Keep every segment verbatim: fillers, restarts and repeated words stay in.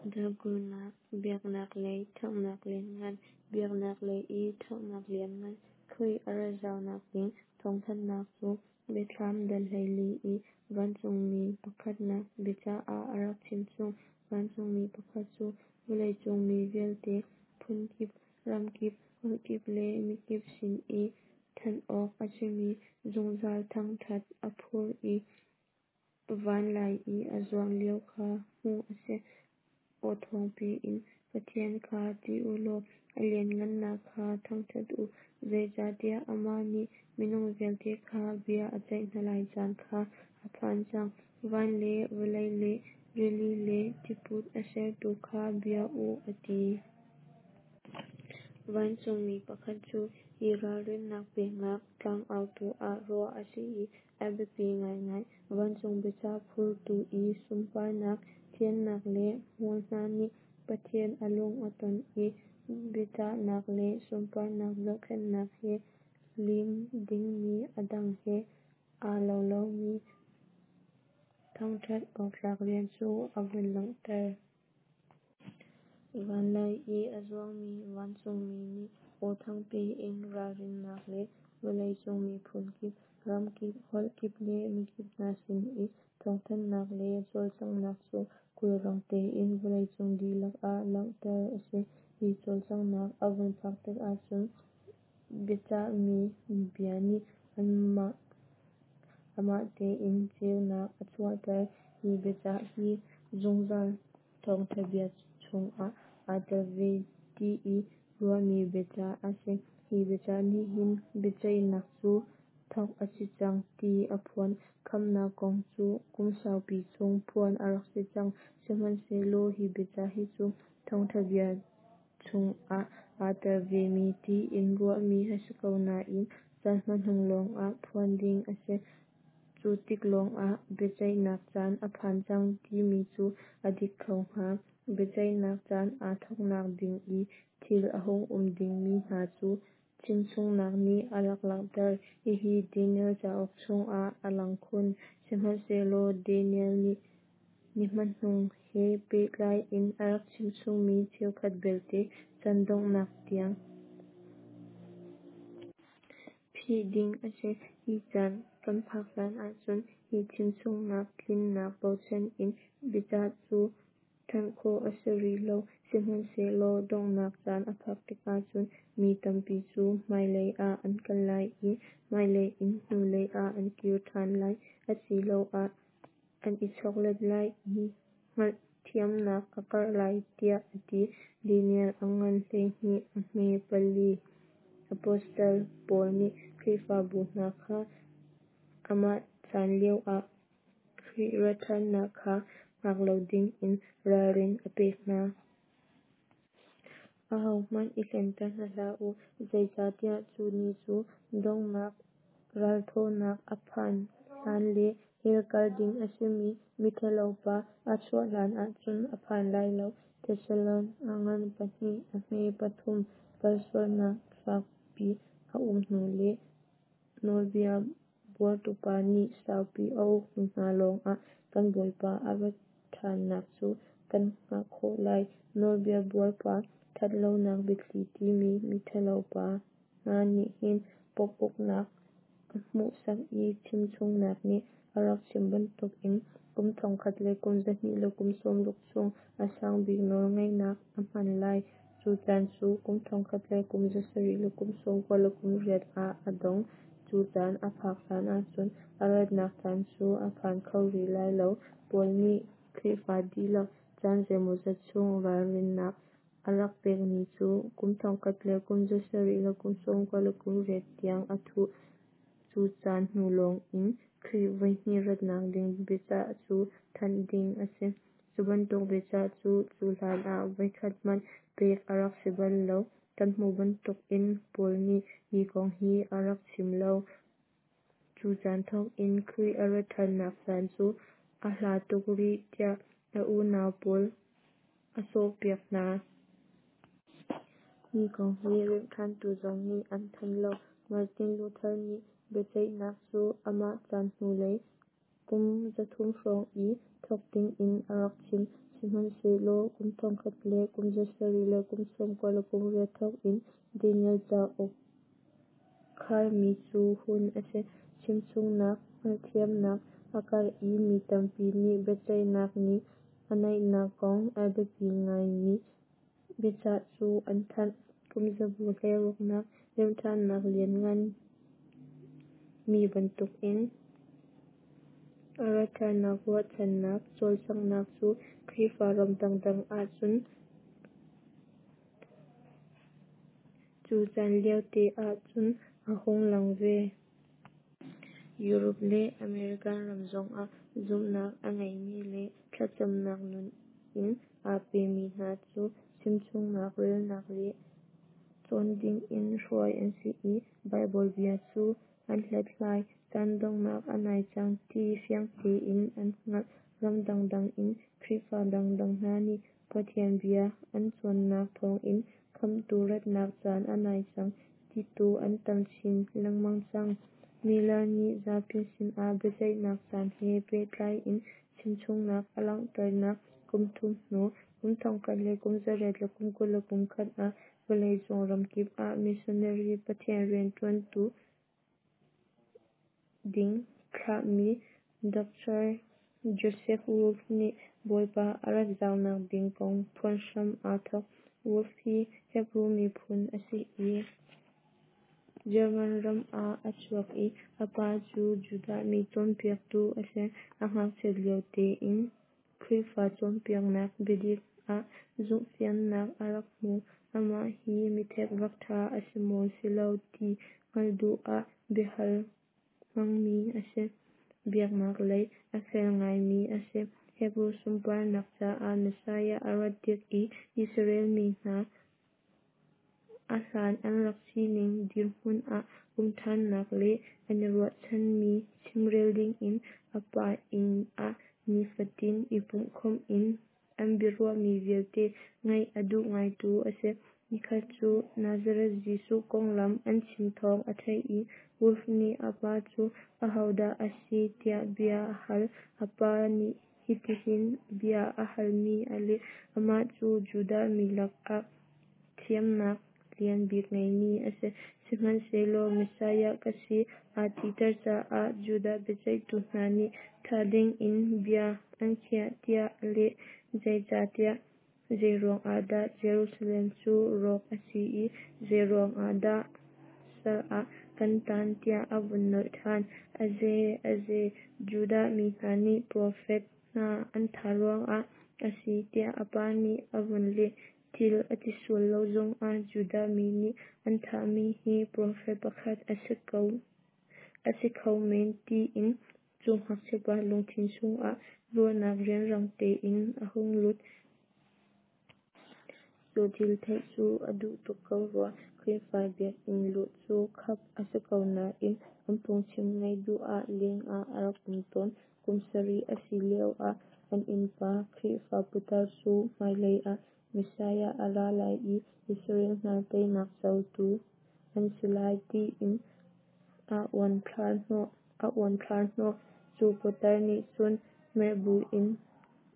Dal kulnak, Biaknak lei ṭhanghnak lianngan, Biaknak lei i ṭhanghnak lianngan, Khrih a rat zaunak ding thawngthanhnak cu Biathlam dal hleili i vancungmi pakhatnak biacah ah a rak chimchung. Vancungmi pakhat cu vawleicung mi vialte, phunkip, ramkip, holhkip le mikip sin i thanh awk a simi zungzal thangṭhat a phur i van lei i a zuang lio kha hmuh a si. Aw thawngpi in, “Pathian kha ṭih u law a lianhngannak kha thangṭhat u, zeicahtiah amah nih minung vialte kha bia a ceih hna lai caan kha a phan cang. Van le vawlei le rili le tiput a sertu kha bia u,” a ti. Vancungmi pakhat cu hi ralrinnak peknak tlangautu ah ruah a si i a biapi ngaingai. Vancung biacah phurtu i sunparnak, thiannak le hmual hna nih Pathian a lung a ton i biachahnak le sunparnak zohkhenhnak he lim dingmi a dang he aa lo lomi thangṭhat awktlak rian cu a vun langhter. Van lei i a zuangmi vancungmi nih aw thangpi in ralrinnak le vawleicung miphun kip, ramkip, holhkip le mikip hna sin i thawngthanhnak le cawlcanghnak cu khulrang tein vawleicung dihlak ah langhter a si. Hi cawlcanghnak a vun phak tikah cun biacahmi bia nih amah tein ceunak a chuahter. Hi biacah hi zungzal thawngṭha bia chungah aa tel ve ti i ruahmi biacah a si. Hi biacah nih hin biaceihnak cu thawk a si cang ti a phuan. Khamhnak kong cu kum saupi chung phuan a rak si cang, sihmanhsehlaw hi biacah hi cu thawngṭha bia chungah aa tel vemi tiin ruahmi a si ko nain caan hmanung lawngah phuan ding a si. Cu tik lawngah biaceihnak caan a phan cang timi cu a dik kho hnga. Biaceihnak caan aa thawknak ding i thil a hung um dingmi hna cu chimchungnak nih a rak langhter. Hihi Daniel cauk chungah a lang khun. Sihmanhsehlaw Daniel nih ni hmanung he pehtlai in a rak chimchungmi cheukhat belte chan donghnak tiang phih ding a si. Hi caan kan phak hlan ahcun hi chimchungnak tlinnak bochan in biacah cu thanh khawh a si rih lo. Sihmanhsehlaw donghnak caan a phak tikah cun mi tampi cu hmailei ah an kal lai i hmailei in hnulei ah an kir ṭhan lai, asiloah an i choklet lai i hngalhthiamnak a karh lai tiah a ti. Daniel a ngan hleihnih a hme pali. Apostle Paul nih Khrihfabu hna kha amah chan lioah Khrih rat ṭhannak kha hngak lo dingin ralrin a pek hna. Ahohmanh i hlenter hna hlah u, zeicahtiah cu ni cu donghnak ralthawhnak a phanh hlan le hell kal ding a simi miṭhalopa a chuah hlanah cun a phan lai lo. Thesalon a ngan pahnih a hme pathum. Kalsualnak fakpi a um hnu le nawlbia buartupa nih saupi a uk hnu hna lawngah kan Bawipa a rat ṭhannak cu kan hngah khawh lai. Nawlbia buarpa, ṭhatlonak biathli timi miṭhalopa hna nih hin Pope uknak a hmuhsak i chimchungnak nih a rak chim bantukin kum thongkhat le kum zahnih le kum sawmruk chung a sangbik nawlngeihnak a hman lai. Cu caan cu kum thongkhat le kum zasarih le kum sawmkua le kum riat ah a dong. Cu caan a phak hlan ahcun a ratnak caan cu a phan kho rih lai lo. Paul nih Khrihfa dihlak caan zeimawzat chung ralrinnak a rak pekmi cu kum thongkhat le kum zasarih le kum sawmkua le kum riat tiang a thuh. Cu caan hnu lawngin Khrih voihnih ratnak ding biacah cu thanh ding a si. Cu bantuk biacah cu cu hlanah voikhat hmanh pek a rak si bal lo. Kan hmuh bantukin Paul nih hi kong hi a rak chim lo. Cu caan thawkin Khrih a rat ṭhannak caan cu a hla tuk rih tiah a unau pawl a sawhpiak hna. Hi kong hi remhṭhantu zong nih an thanh lo. Martin Luther nih biaceihnak cu amah chan hnulei kum zathum hrawng i thawk dingin a rak chim. Sihmanhsehlaw kum thongkhat le kum zasarih le kum sawmkua le kum riat thawk in Daniel cauk kharmi cu hun a si. Chimchungnak hngalhthiamnak a karh i mi tampi nih biaceihnak ni a naihnak kong a biapi ngaimi biacah cu an thanh. Kumzabu hleiruknak Remhṭhannak Lianngan mi bantukin a ratṭhannak ruahchannak cawlcanghnak cu Khrihfa ram dangdang ahcun cu caan liote ahcun a hung lang ve. Europe le American ram zongah zumhnak a ngeimi le thlacamnak nun in aa pemi hna cu chimchungnak relnak le cawn dingin hruai an si i Baibal bia cu an hlathlai. Caan donghnak a nai cang ti fiang tein an hngalh. Ram dangdang in Khrihfa dangdang hna nih Pathian bia an cawnnak thawngin Khamhtu ratnak caan a nai cang titu an tam chin lengmang cang. Miller nih zapi sinah biaceihnak caan he pehtlai in chimchungnak a langhternak kum thum hnu, kum thongkhat le kum zariat le kum kul le kum khat ah vawleicung ramkip ah missionary Pathian rianṭuantu ding thlahmi Doctor Joseph Wolff nih Bawipa a rat zaunak ding kong phuan hram aa thawk. Wolff hi Hebru miphun a si i German ram ah a chuak i a pa cu Judah mi cawnpiaktu a si. A ngakchiat lio tein Khrihfa cawnpiaknak biadik ah zumhfiannak a rak hmu. Amah hi mithekvak ṭha a si maw si lo ti hngalh duh ah biahal hmangmi a si. Biaknak lei a fel ngaimi a si. Hebru sunparnak caah Messiah a rat tik i Israel mi hna a hlan an rak sining dirhmun ah um ṭhannak le an i ruahchanmi chimrel dingin a pa inn ah nifatin i pumhkhawmh in an biaruahmi vialte ngaih a duh ngaitu a si. Nikhat cu Nazareth Jesuh konglam an chim thawng a theih i Wolff nih a pa cu ahodah a si tiah bia a hal. A pa nih hitihin bia a halmi a leh: Amah cu Judah mi lakah thiamnak lian bik ngeimi a si. Sihmanhsehlaw Messiah ka si aa titer caah Judah biaceihtu hna nih thah dingin bia an khiah tiah a leh. Zeicahtiah zeiruang ahdah Jerusalem cu rawk a si i zeiruang ahdah sal ah kan taan tiah a vun nolh ṭhan. Aze, aze, Judah mi hna nih profet hna an thah ruangah a si tiah a pa nih a vun leh. Thil a ti sual lo zongah Judah mi nih an thahmi hi profet pakhat a si ko a si kho men tiin cu ngakchiapa lungthin chungah ruahnak rianrang tein a hung lut. Cu thil theih cu a duh tuk ko rua. Khrihfa biakinn luh cu khap a si ko nain an phungchim ngaih duh ah leng ah a rak um tawn. Kum sarih a si lioah an innpa Khrihfa putar cu hmailei ah Messiah a ra lai i Israel hna teinak cotu an si lai tiin a uanthlar hnawh. A uanthlar hnawh. Cu putar nih cun merh buin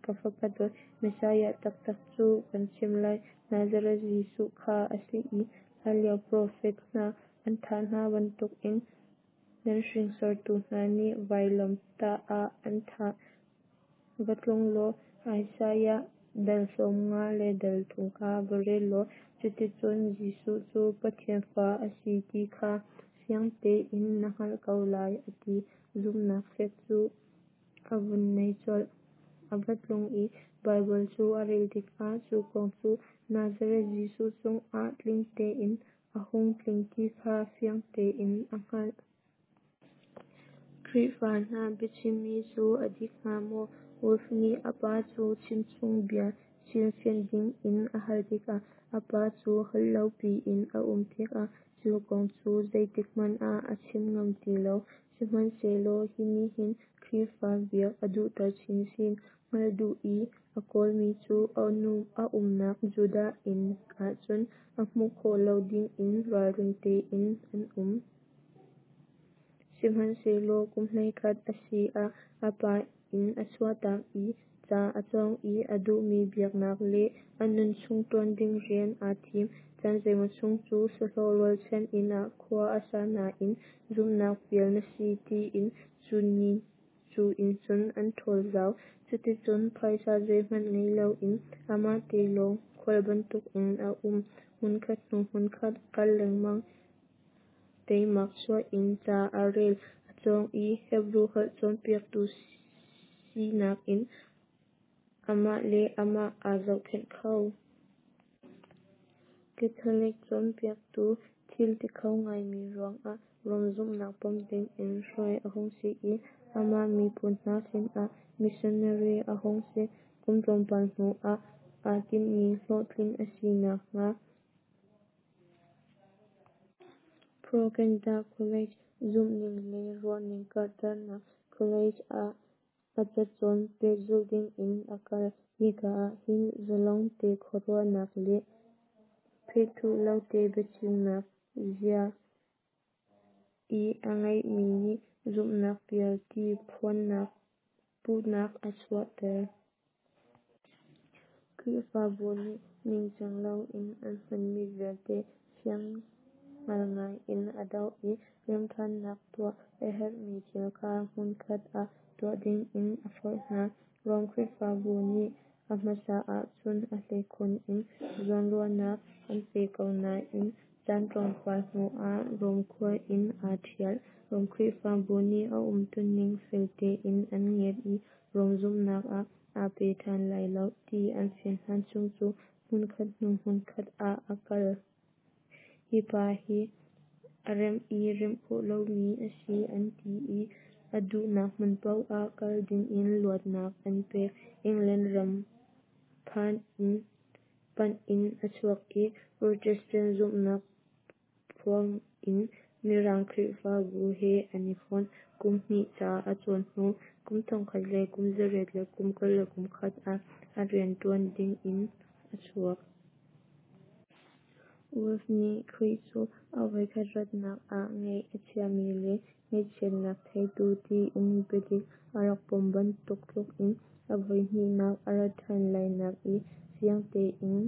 ka fapa dawt, Messiah taktak cu kan chimh lai. Nazareth Jesuh kha a si i hlanlio profet hna an thah hna bantukin nan hringsortu hna nih vailamtah ah an thah. Va tlung law Isaiah dal sawmnga le dal thum kha va rel law cuticun Jesuh cu Pathian fa a si ti kha fiang tein na hngalh ko lai a ti. Zumhnak fek cu a vun nei colh. A va tlung i Baibal cu a rel tikah cu kong cu Nazareth Jesuh cungah tling tein a hung tling ti kha fiang tein a hngalh. Khrihfa hna biachimmi cu a dik hnga maw? Wolff nih a pa cu chimchung bia hrilhfianh dingin a hal tikah a pa cu holh lo piin a um tikah cu kong cu zeitikhmanh ah a chim ngam ti lo. Sihmanhsehlaw hi nih hin Khrihfa biak a duhter chinchin. Hngalh duh i a kawlmi cu a umnak Judah inn ahcun a hmuh khawh lo dingin ralring tein an um. Sihmanhsehlaw kum hleikhat a si ah a pa inn a chuahtak i Ca a cawng i a duhmi biaknak le a nunchung ṭuan ding rian aa thim. Caan zeimaw chung cu sahlawh rualchan inn ah khua a sa nain zumhnak pial na si tiin cu inn cun an ṭhawl zau. Cuticun phaisa zeihmanh ngei loin amah te lawng khual bantukin a um. Hmunkhat hnu hmunkhat a kal lengmang. Teimak chuah in ca a rel, a cawng i Hebru holh cawnpiaktu sinak in amah le amah aa zohkhenh kho. Catholic cawnpiaktu thil ti kho ngaimi ruangah Rom zumhnak pom dingin hruai a hung si i amah miphun hna sinah missionary a hung si. Kum tlawmpal hnu ah aa tinhmi hlawhtlin a si nakhnga Propaganda College (zumhning le ruahning karhternak college) ah a cacawn pehzulh dingin a kal. Hika ahhin zalong te khuaruahnak le phethuh lote biachimnak zia i a ngeihmi nih zumhnak pial ti puhnak a chuahter. Khrihfabu nih ningcang loin an hmanmi vialte fianghngal ngaiin a doh i remhṭhannak tuah a herhmi thil kha hmunkhat ah tuah dingin a forh hna. Rom Khrihfabu nih a hmasa ahcun a hleikhun in zawnruahnak an pe ko nain caan tlawmpal hnuah Rom khua in aa ṭhial. Rom Khrihfabu nih a umtuning fel tein an ngiat i Rom zumhnak ah aa pe ṭhan lai lo ti an fian hlan chung cu hmunkhat hnu hmunkhat ah a kal. Hi pa hi a remh i remh khawh lomi a si an ti i a duhnak hmun paoh ah kal dingin luatnak an pek. England ram panh in a chuak i Protestant zumhnak phuang in Mirang Khrihfabu he an i fonh. Kum hnih ca a cawn hnu kum thongkhat le kum zariat le kum kul le kum khat ah a rianṭuan dingin a chuak. Wolff nih Khrih cu a voikhat ratnak ah ngaih a chiami le ngaihchiatnak theitu tiin biadik a rak pom bantuk tlukin a voihnihnak a rat ṭhan lainak i fiang tein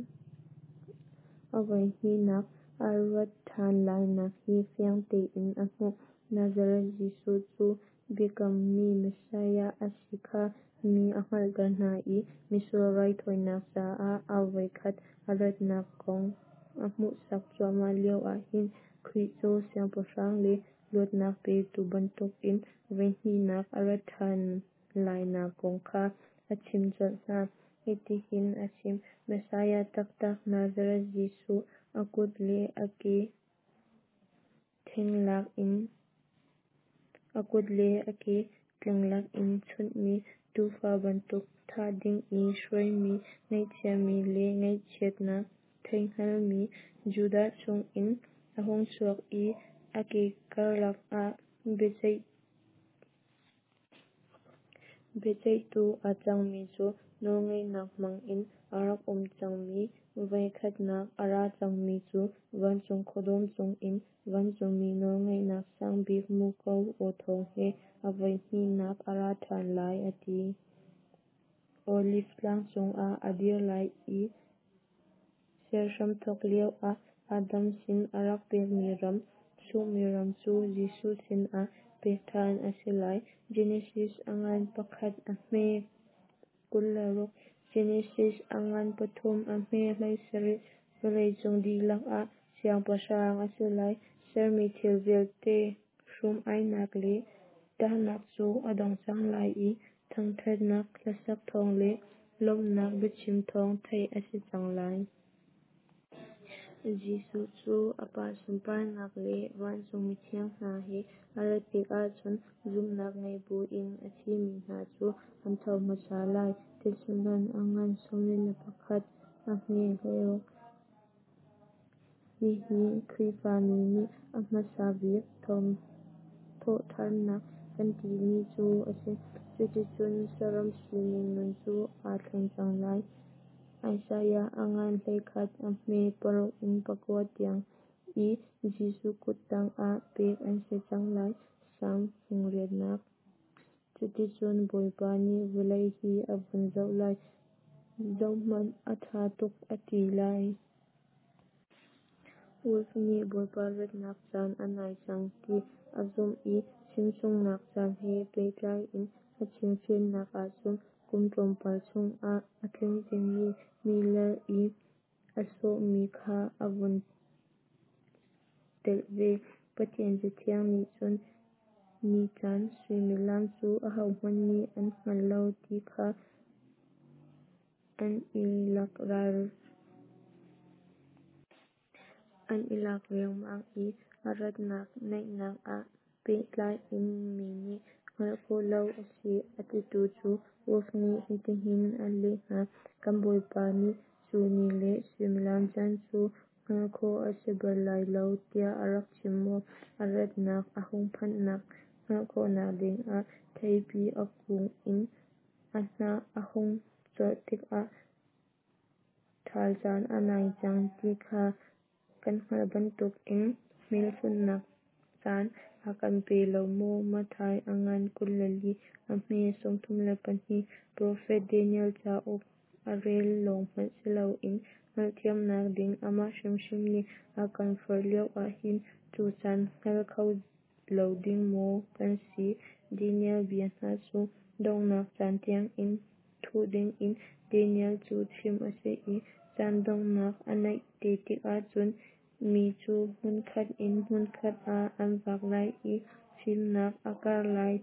a voihnihnak a rat ṭhan lainak hi fiang tein a hmuh. Nazareth Jesuh cu biakammi Messiah a si kha mi a hngalhter hna i misual raithawinak caah a voikhat a ratnak kong a hmuhsak cuahmah lio ahhin Khrih cu Siangpahrang le luatnak petu bantukin voihnihnak a rat ṭhan lainak kong kha a chimh colh hna. Hitihin a chim: Messiah taktak Nazareth Jesuh, a kut le a ke tleng lakin chunhmi, tuufa bantuk thah ding i hruaimi, ngaihchiami le ngaihchiatnak theihngalmi, Judah chungin a hung chuak i a ke karlak ah biaceihtu a cangmi cu nawlngeihnak hmangin a rak um cangmi, voikhatnak a ra cangmi cu vancung khuadawm cungin vancungmi nawlngeihnak sangbik muko aw thawng he a voihnihnak a ra ṭhan lai, a ti. Oliv tlang cungah a dir lai i ser hramthawk lioah Adam sin a rak pekmi ram, sunghmi ram cu Jesuh sinah pek ṭhan a si lai. Genesis a ngan pakhat a hme kul le ruk, Genesis a ngan pathum a hme hleisarih. Vawleicung dihlak ah siangpahrang a si lai. Sermi thil vialte hrum-ainak le ṭahnak cu a dong cang lai i thangṭhatnak hlasak thawng le lawmhnak biachim thawng theih a si cang lai. Jesuh cu a Pa sunparnak le vancung mithiang hna he a rat tikah cun zumhnak ngei buin a thimi hna cu an tho hmasa lai. Thesalon a ngan sawmli le pakhat a hme hleiruk. Hihi Khrihfami nih a hmasa bik thawhṭhannak kan timi cu a si. Cuticun saram sining nun cu aa thleng cang lai. Isaiah a ngan hleikhat a hme paruk in pakua tiang i Jesuh kut tangah pek an si cang lai. Salm fung riatnak. Cuticun Bawipa nih vawlei hi a vun zoh lai, zohhmanh a ṭha tuk a ti lai. Wolff nih Bawipa ratnak caan a nai cang ti a zumh i chimchungnak caan he pehtlai in a chimfiannak ahcun kum tlawmpal chungah a tling dingmi Miller i a sawhmi kha a vun telh ve. Pathian Cathiang nih cun ni caan suimilam cu ahohmanh nih an hngal lo ti kha an i lak an i lak riangmang i a ratnak naihnak ah pehtlai in mi nih hngalh khawh lo a si a titu cu Wolff nih hitihin a leh hna: Kan Bawipa nih cu ni le suimilam caan cu hngalh khawh a si bal lai lo tiah a rak chim maw? A ratnak a hung phanhnak hngalh khawhnak dingah theipi a kung in a hnah a hung corh tikah ṭhal caan a nai cang ti kha kan hngalh bantukin hmelchunhnak caan a kan pe lo maw? Matthai a ngan kul le li, a hme sawmthum le pahnih. Profet Daniel cauk a rel lawng hmanh si loin hngalhthiamnak ding amah hrimhrim nih a kan forh lio ahhin cu caan hngal kho lo ding maw kan si? Daniel bia hna cu donghnak caan tiangin thuh dingin Daniel cu chimh a si i caan donghnak a naih te tikah cun mi cu hmunkhat in hmunkhat ah an vak lai i fimnak a karh lai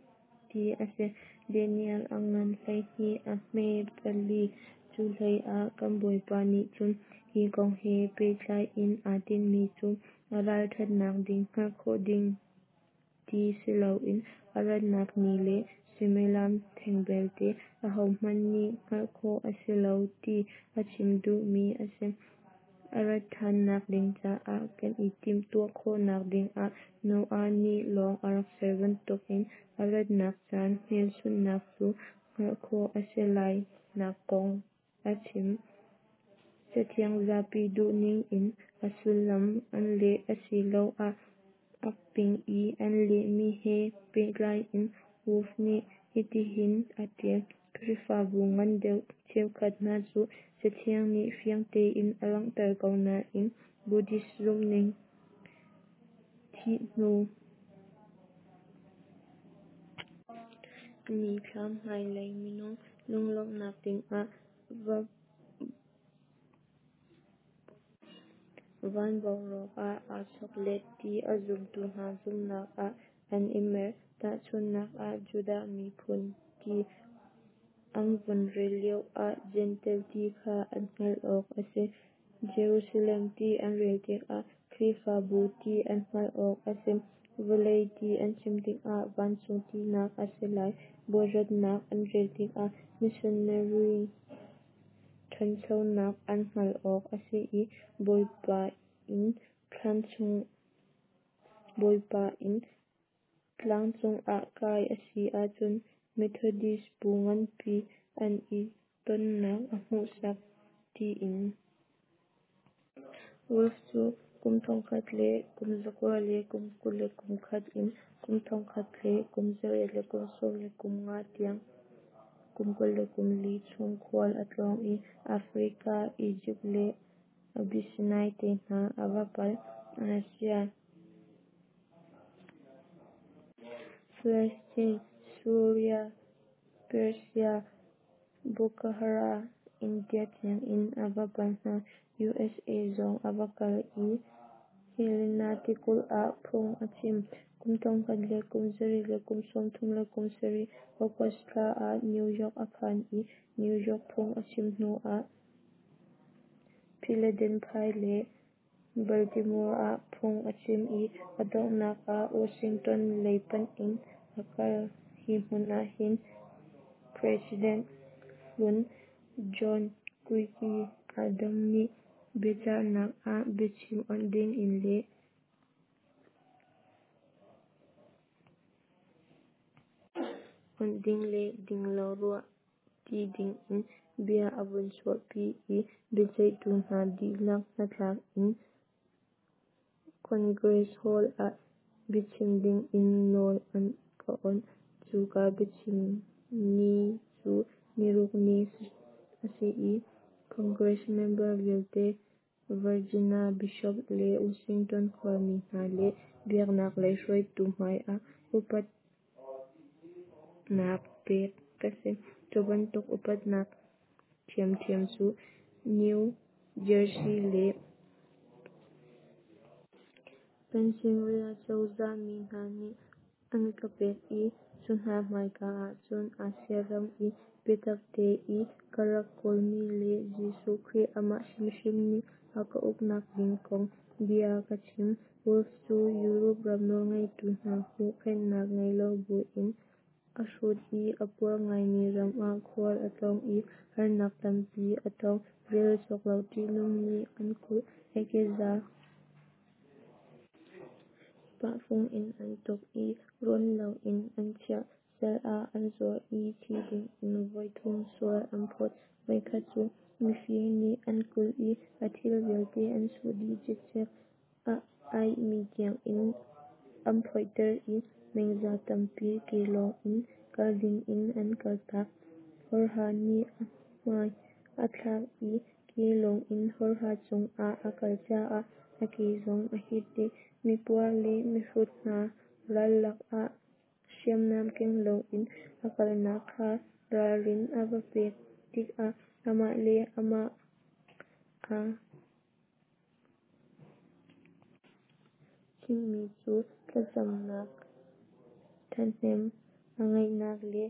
ti a si. Daniel a ngan hleihnih a hme pali. Cuhleiah kan Bawipa nih cun hi kong he pehtlai in aa tinhmi cu a ralṭhatnak ding hngalh khawh ding ti si loin a ratnak ni le suimilam theng belte ahohmanh nih hngalh khawh a si lo ti a chim duhmi a si. A rat ṭhannak ding caah kan i timhtuah khawhnak dingah Noah nih lawng a rak ser bantukin a ratnak caan hmelchunhnak cu hngalh khawh a si lai nak kong a chim. Cathiang zapi duhning in a sullam an leh asiloah a ping i an lehmi he pehtlai in Wolff nih hitihin a ṭial: Khrihfabu ngan deuh cheukhat hna cu Cathiang nih fiang tein a langhter ko nain Buddhist zumhning, thih hnu nithlam hmailei minung lunglawmhnak dingah van boruak ah aa chawklet ti a zumtu hna zumhnak ah an i mer. Tahchunhnak ah Judah miphun ti an vun rel lioah Jentail ti kha an hngalh awk a si. Jerusalem ti an rel tikah Khrihfabu ti an hngalh awk a si. Vawlei ti an chim tikah vancung tinak a si lai. Bawi ratnak an rel tikah missionary ṭhanchonak an hngalh awk a si i Bawipa inn Bawipa inn tlangcung ah kai a si ahcun Methodist bu nganpi an i tonnak a hmuhsak tiin. Wolff cu kum thongkhat le kum zakua le kum kul le kum khat in kum thongkhat le kum zariat le kum sawm le kum nga tiang kum kul le kum li chung khual a tlawng i Africa, Egypt le Abyssinia te hna a va pal. Asia, Palestine, Suria, Persia, Bukhara, India tiangin a va pal hna. USA zong a va kal i Helena tikulh ah phung a chim. Kum thongkhat le kum zariat le kum sawmthum le kum sarih August thla ah New York a phan i New York phung a chim hnu ah Philadelphia le Baltimore ah phung a chim i a donghnak ah Washington lei panh in a kal. Hi hmun ahhin President hlun John Quincy Adams nih biachahnak ah biachim onh dingin le onh ding le ding lo ruah tti dingin bia a vun chuahpi i biaceihtu hna dihlak hnatlak in Congress Hall ah biachim dingin nawl an ka onh. Cu Cuka biachim ni cu niruk ni a si i Congress member vialte, Virginia Bishop le Washington khuami hna le biaknak lei hruaitu hmai ah upatnak pek ka si. Cu bantuk upatnak ṭhiamṭhiam cu New Jersey le Pennsylvania cozah mi hna nih an ka pek i cu hna hmaika ah cun Asia ram i biatakte i ka rak kawlmi le Jesuh Khrih amah hrimhrim nih a ka uknak ding kong bia ka chim. Wolff cu Europe ram nawlngeitu hna huhphenhnak ngei lo buin a hrut i a puar ngaimi ram ah khual a tlawng i harnak tampi a tong, rel cawk lo ṭihnung nih an kulh, a keza pah fung in an tuk i rawn loin an chiah, sal ah an zuar i thi dingin voithum sual an phawt. Voikhat cu mifir nih an kulh i a thil vialte an chuh dih cikcek, a aihmi tiangin an phoihter i meng za tampi ke lawng in kal dingin an kaltak. Hawrha nih a hmai a thlak i ke lawngin hawrha cungah a kal caah a ke zong a hit dih. Mipuar le mihrut hna ral lakah hriamnam keng loin a kalnak kha ralrin a va pek tikah amah le amah aa chimmi cu thlacamnak ṭhahnem a ngeihnak le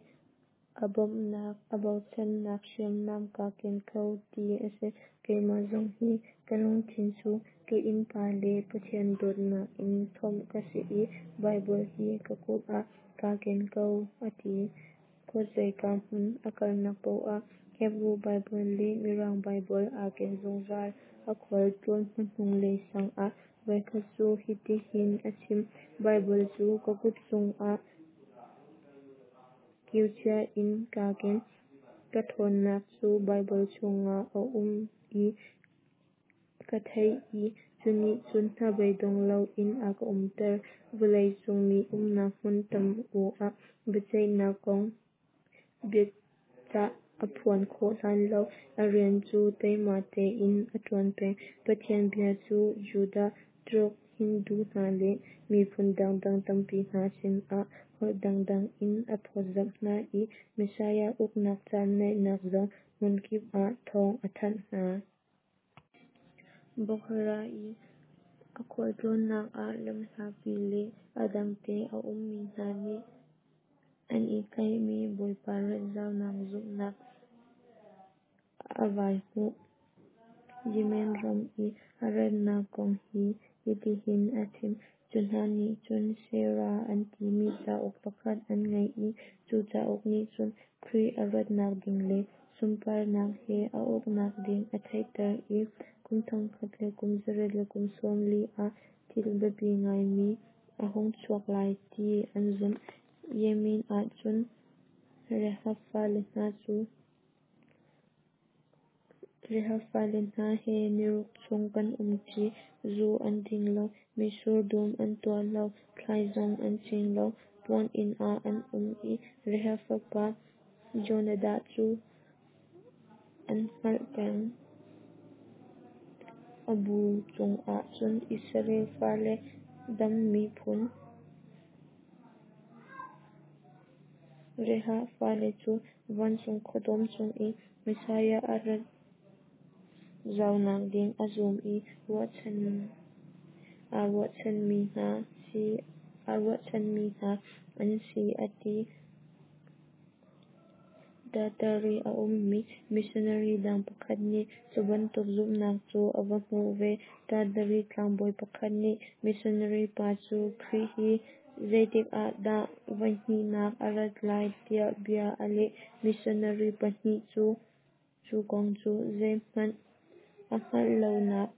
a bawmhnak a bochannak hriamnam kaa ken ko ti a si. Keimah zong hi ka lungthin cu ka innpa le Pathian dawtnak in thomh ka si i Baibal hi ka kut ah kaa ken ko, a ti. Khuazeika hmun a kalnak paoh ah Hebru Baibal le Mirang Baibal aa ken zungzal. A khual tlawn hnuhnung lei sang ah voikhat cu hitihin a chim: "Baibal cu ka kut cungah kiu cia in kaa ken. Ka ṭhawnnak cu Baibal chungah a um ti ka theih i cu nih cun hnabeidong loin a ka umter." Vawlei cung mi umnak hmun tam-u ah biaceihnak kong biacah a phuan khawh hlan lo a rian cu teima tein a ṭuan peng. Pathian bia cu Judah, Turk, Hindu hna le miphun dangdang tampi hna sinah holh dangdang in a phawtzamh hna i Messiah uknak caan naihnak zong hmunkip ah thawng a thanh hna. Bokhara i a khualtlawnnak ah lamhlapi le a dangte a ummi hna nih an i tlaihmi Bawipa rat zaunak zumhnak a vai hmuh. Yemen ram i a ratnak kong hi hitihin a chim: Cu hna nih cun Sira an timi cauk pakhat an ngei i cu cauk nih cun Khrih a ratnak ding le sunparnak he a uknak ding a theihter i kum thongkhat le kum zariat le kum sawm li ah thil biapi ngaimi a hung chuak lai ti an zumh. Yemen ah cun Rahab fale hna cu Rahab fale hna he niruk chung kan um ṭi; zu an ding lo, mitsur dum an tuah lo, thlai zong an cing lo, puan inn ah an um i Rahab fapa Jonadab cu an hngalh peng. A bu chungah cun Israel fale Dan miphun Rahab fale cu vancung khuadawm cung i Messiah a rat zaunak ding a zum i aa ruahchanmi hna an si a ti. Tartary a ummi missionary dang pakhat nih cu bantuk zumhnak cu a va hmuh ve. Tartary tlangbawi pakhat nih missionary pa cu Khrih hi zeitik ah dah voihnihnak a rat lai tiah bia a leh. Missionary pa nih cu kong cu zeihmanh a hngalh lonak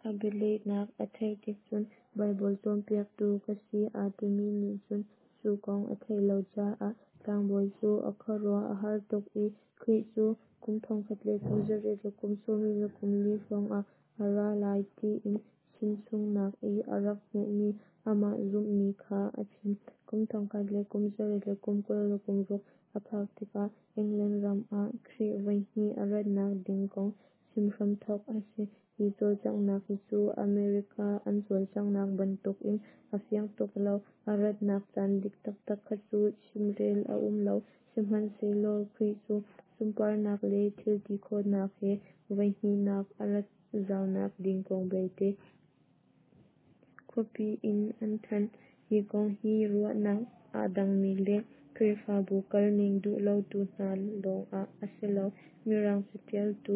A bialehnak a theih tik cun Baibal cawnpiaktu ka si aa timi nih cun cu kong a theih lo caah tlangbawi cu a khuaruah a har tuk i Khrih cu kum thongkhat le kum zariat le kum sawmli le kum li hrawngah a ra lai tiin chimchungnak i a rak hmuhmi amah zumhmi kha a chim. Kum thongkhat le kum zariat le kum kul le kum ruk a phak tikah England ram ah Khrih voihnih a ratnak ding kong chim hramthawk a si. Hi cawlcanghnak hi cu America an cawlcanghnak bantukin a fiang tuk lo. A ratnak caan dik taktak kha cu chimrel a um lo. Sihmanhsehlaw Khrih cu sunparnak le thil ti khawhnak he voihnihnak a rat zaunak ding kong belte khuapi in an thanh. Hi kong hi ruahnak aa dangmi le Khrihfabu kalning duh lotu hna lawngah a si lo. Mirang catialtu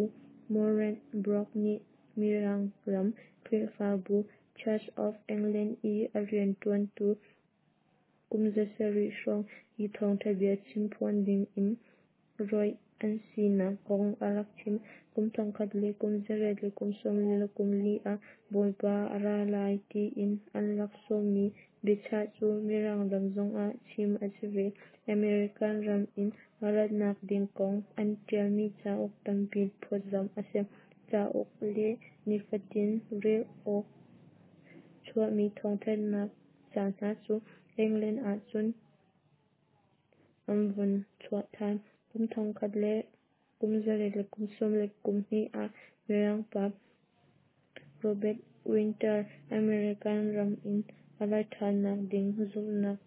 Moreland Brock nih Mirang ram Khrihfabu Church of England i a riantuantu kum zasarih hrawng hi thawngtha bia chimphuan dingin rawih an sinak kong a rak chim. Kum thongkhat le kum zariat le kum sawmli le kum li ah Bawipa a ra lai tiin an rak sawmmi biachah cu Mirang ram zongah chim a si ve. American ram in a ratnak ding kong an tialmi cauk tampi phawtzamh a si. Cauk le nifatin rel awk chuahmi thawngthanhnak ca hna cu England ahcun an vun chuah than. Kum thongkhat le kum zariat le kum sawm le kum hnih ah Mirang pa Robert Winter American ram in a rat thannak ding zumhnak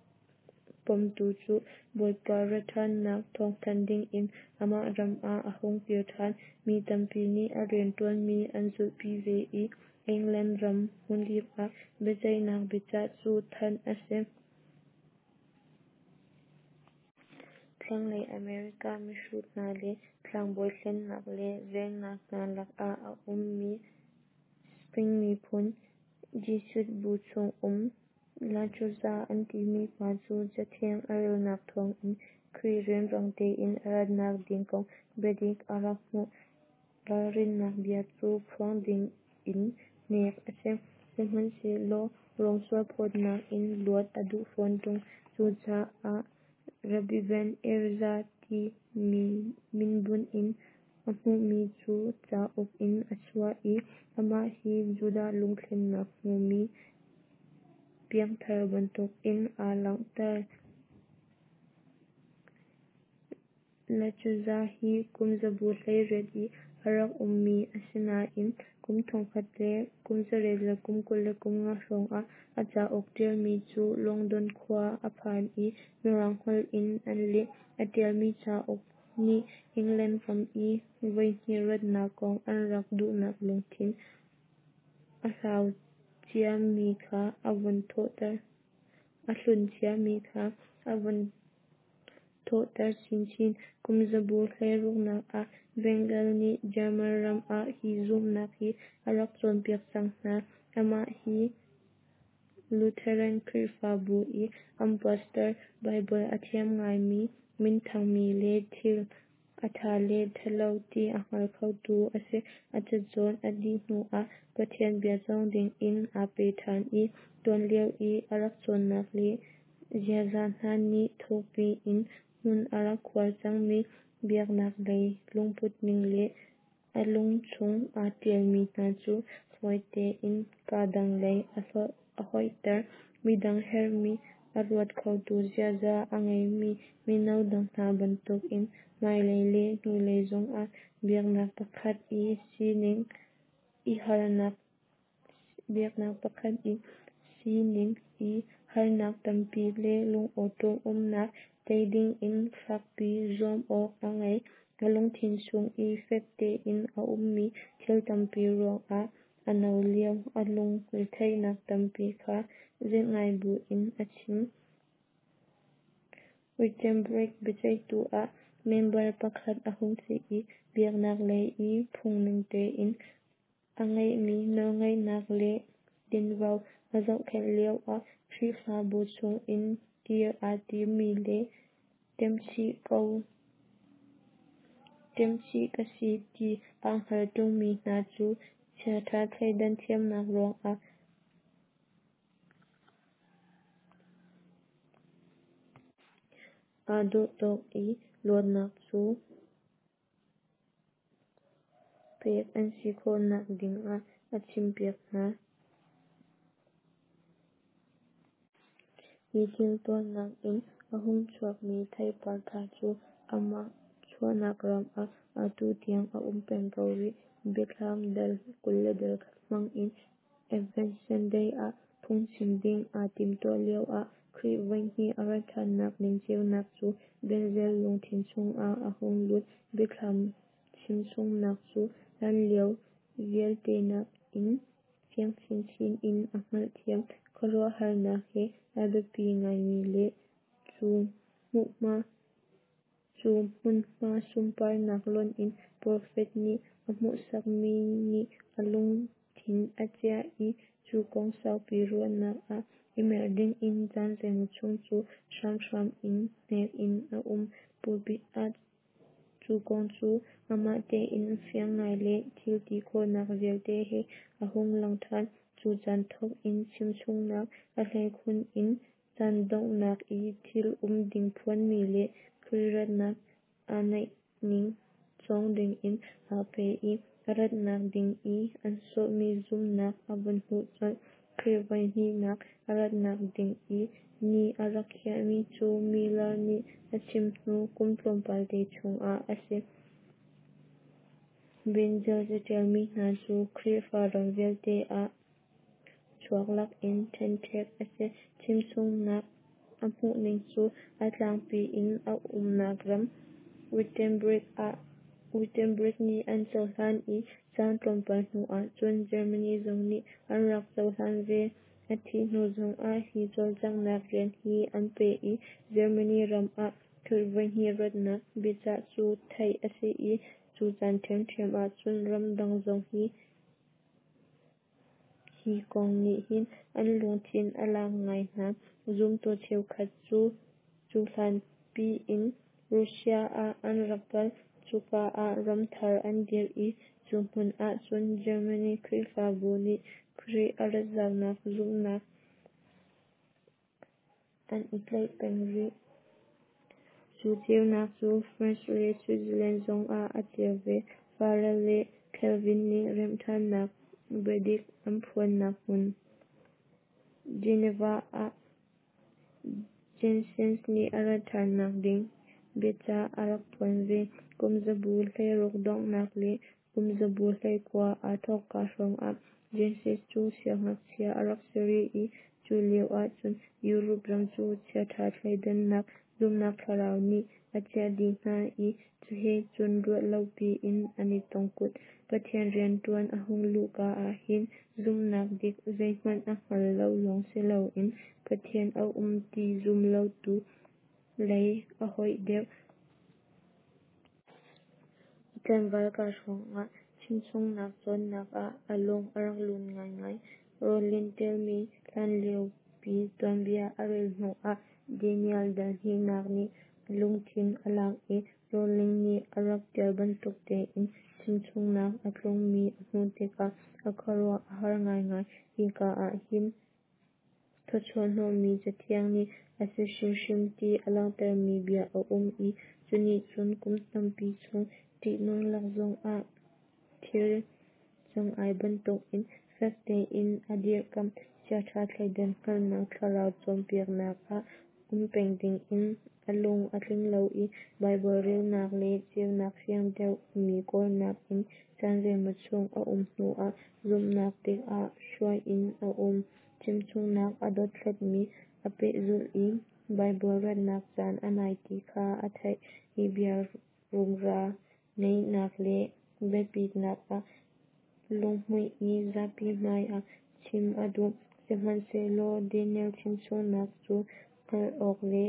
pomtu cu Bawipa rat thannak thawngthanh dingin amah ram ah a hung kir than. Mi tampi nih a riantuanmi an zulhpi ve i England ram hmunkip ah biaceihnak biachah cu thanh a si. Thlanglei America mihrut hna le tlangbawi hlennak le velhnak hna lakah a ummi Spain miphun Jesuit bu chung um La Chuza an timi pa cu Cathiang a relnak thawngin Khrih rianrang tein a ratnak ding kong biadik a rak hmuh. Ralrinnak bia cu phuang dingin hnek a si. Sihmanhsehlaw Rom sualphawtnak in luat a duh fawn ṭung. Cucaah Rabbi Ben Ezra ti minbunh in a hmuhmi cu cauk in a chuah i amah hi Judah lungthlennak hmumi piangthar bantukin aa langhter. La Chuza hi kum zabu hleiriat i a rak ummi a si nain kum thongkhat le kum zariat le kum kul le kum nga hrawngah a cauk ṭialmi cu London khua a phan i Mirang holh in an leh. A ṭialmi cauk nih England ram i voihnih ratnak kong an rak duhnak lungthin a hlau ciami kha a vun thawhter. A hlun ciami kha a vun thawhter chinchin. Kum zabu hleiruknak ah Bengal nih German ram ah hi zumhnak hi a rak cawnpiak cang hna. Amah hi Lutheran Khrihfabu i an pastor, Baibal a thiam ngaimi, minthangmi le thil a ṭha le ṭhalo ti a hngal khotu a si. A cacawn a dih hnuah Pathian bia cawng dingin aa pe ṭhan i tuanlio i a rak cawnnak le ziaza hna nih thukpi in hmun a rak khuar cangmi biaknak lei lungputning le a lungchung aa ṭialmi hna cu fawi tein kaa dang lei a hoihter. Midang herhmi a ruat khotu ziaza a ngeimi mino dang hna bantukin hmailei le hnulei zongah biaknak pakhat i sining i harnak biaknak pakhat i sining i harnak tampi le lungawṭawm umnak tei dingin fakpi zuam awk a ngei. A lungthin chung i fek tein a ummi thil tampi ruangah a no lio a lung retheihnak tampi kha zelh ngai buin a chim. Wittenberg biaceihtu ah member pakhat a hung si i biaknak lei i phungning tein a ngeihmi nawlngeihnak le tinvo a zohkhenh lioah Khrihfabu chungin kir aa timmi le ṭemchih ko ṭemchih ka si ti aa hngal ṭungmi hna cu chiaṭha thleidan thiamnak ruangah aa dawh tawk i luatnak cu pek an si khawhnak dingah a chimpiak hna. Hi thil tuahnak in a hung chuakmi theipar ṭha cu amah chuahnak ram ah atu tiang a um peng ko rih. Biathlam dal kul le dal khat hmang in Advent Sunday ah phungchim ding aa timhtuah lioah Khrih voihnih a rat ṭhannak ding ceunak cu Benzel lungthin chungah a hung lut. Biathlam chimchungnak cu hlanlio vialte nakin fiang chinchin in a hngalhthiam. Khuaruahharnak he a biapi ngaimi le cu hmunhma sunparnak lonh in profet nih a hmuhsakmi nih a lungthin a ciah i cu kong saupi ruahnak ah i mer dingin caan zeimaw chung cu hramhram in hnek in a um. Pulpit ah cu kong cu amah tein fiang ngai le thil ti khawhnak vialte he a hung lang ṭhan. Cu caan thawk in chimchungnak, a hleikhun in caan donghnak i thil um ding phuanmi le Khrih ratnak aa naihning cawng dingin aa pe i a ratnak ding i an sawhmi zumhnak a vun hmuh colh. Khrih voihnihnak a ratnak ding i ni a rak khiahmi cu Miller nih a chim hnu kum tlawmpal te chungah a si. Benzal caṭialmi hna cu Khrihfa ram vialte ah chuak lakin ṭhenṭhek a si. Chimchungnak a hmuhning cu a tlangpi in a umnak ram Wittenberg nih an cohlan i caan tlawmpal hnu ahcun Germany zong nih an rak cohlan ve. A thih hnu zongah hi cawlcanghnak rian hi an peh i Germany ram ah Khrih voihnih ratnak biacah cu theih a si i cu caan ṭhiamṭhiam ahcun ramdang zong hi hi kong nih hin an lungthin a lak ngai hna. Zumtu cheukhat cu cuhlan piin Russia ah an rak kal. Cuka ah ram thar an dirh i cu hmun ahcun Germany Khrihfabu nih Khrih a rat zaunak zumhnak an i tlaih peng rih. Cu ceunak cu France le Switzerland zongah a ceu ve. Farel le Calvin nih remhṭhannak biadik an phuannak hmun Geneva ah Jansenist nih a rat ṭhannak ding biacah a rak phuan ve. Kumzabu hleiruk donghnak le kumzabu hleikua aa thawkka hrawngah Jansenist cu siangngakchia a rak si rih i cu lio ahcun Europe ram cu chiaṭha thleidannak zumhnak thlarau nih a ciah dih hna i cu he cun ruah lopi in an i tongkut. Pathian rianṭuan a hung luhka ahhin zumhnak dik zeihmanh a hngal lo lawng si loin Pathian a um ti zum lotu lei a hoih deuh. A tlangval ka hrawngah chimchungnak cawnnak ah a lung a rak lun ngaingai. Rollin ṭialmi hlanliopi tuanbia a rel hnuah Daniel dal hnihnak nih a lungthin a lak i Rollin nih a rak ṭial bantuk tein chimchungnak a tlungmi a hmuh tikah a khuaruah a har ngaingai. Hika ahhin thawchuahhnawhmi Cathiang nih a si hrimhrim ti a langhtermi bia a um i cu nih cun kum tampi chung ṭihnung lak zongah thir cangai bantukin fek tein a dirhkamh. Chiaṭha thleidan hngalhnak thlarau cawnpiaknak ah um peng dingin a lung a tling lo i Baibal relnak le ceunak fiang deuhmi kawlnak in caan zeimaw chung a um hnuah zumhnak dik ah hruai in a um. Chimchungnak a dothlatmi a pehzulh i Baibal ratnak caan a nai ti kha a theih. Hi bia rumra ngeihnak le biapitnak ah lunghmuih i zapi hmaiah chim a duh. Sihmanhsehlaw Daniel chimchungnak cu hngalh awk le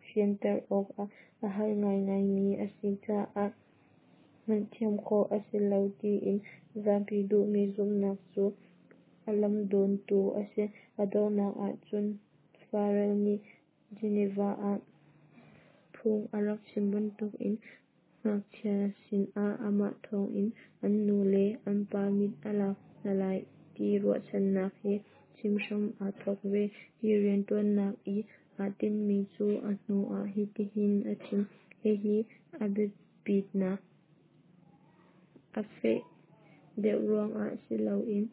fianter awkah a har ngaingaimi a si caah hngalhthiam khawh a si lo tiin zapi duhmi zumhnak cu a lamdawntu a si. A donghnak ahcun Farel nih Geneva ah phung a rak chim bantukin ngakchia sinah amah thawngin an nu le an pa mit a lak hna lai ti ruahchannak he chim hram aa thawk ve. Hi rianṭuannak i aa tinhmi cu a hnu ah hitihin a chim: Hihi a biapitnak a feh deuh ruangah si loin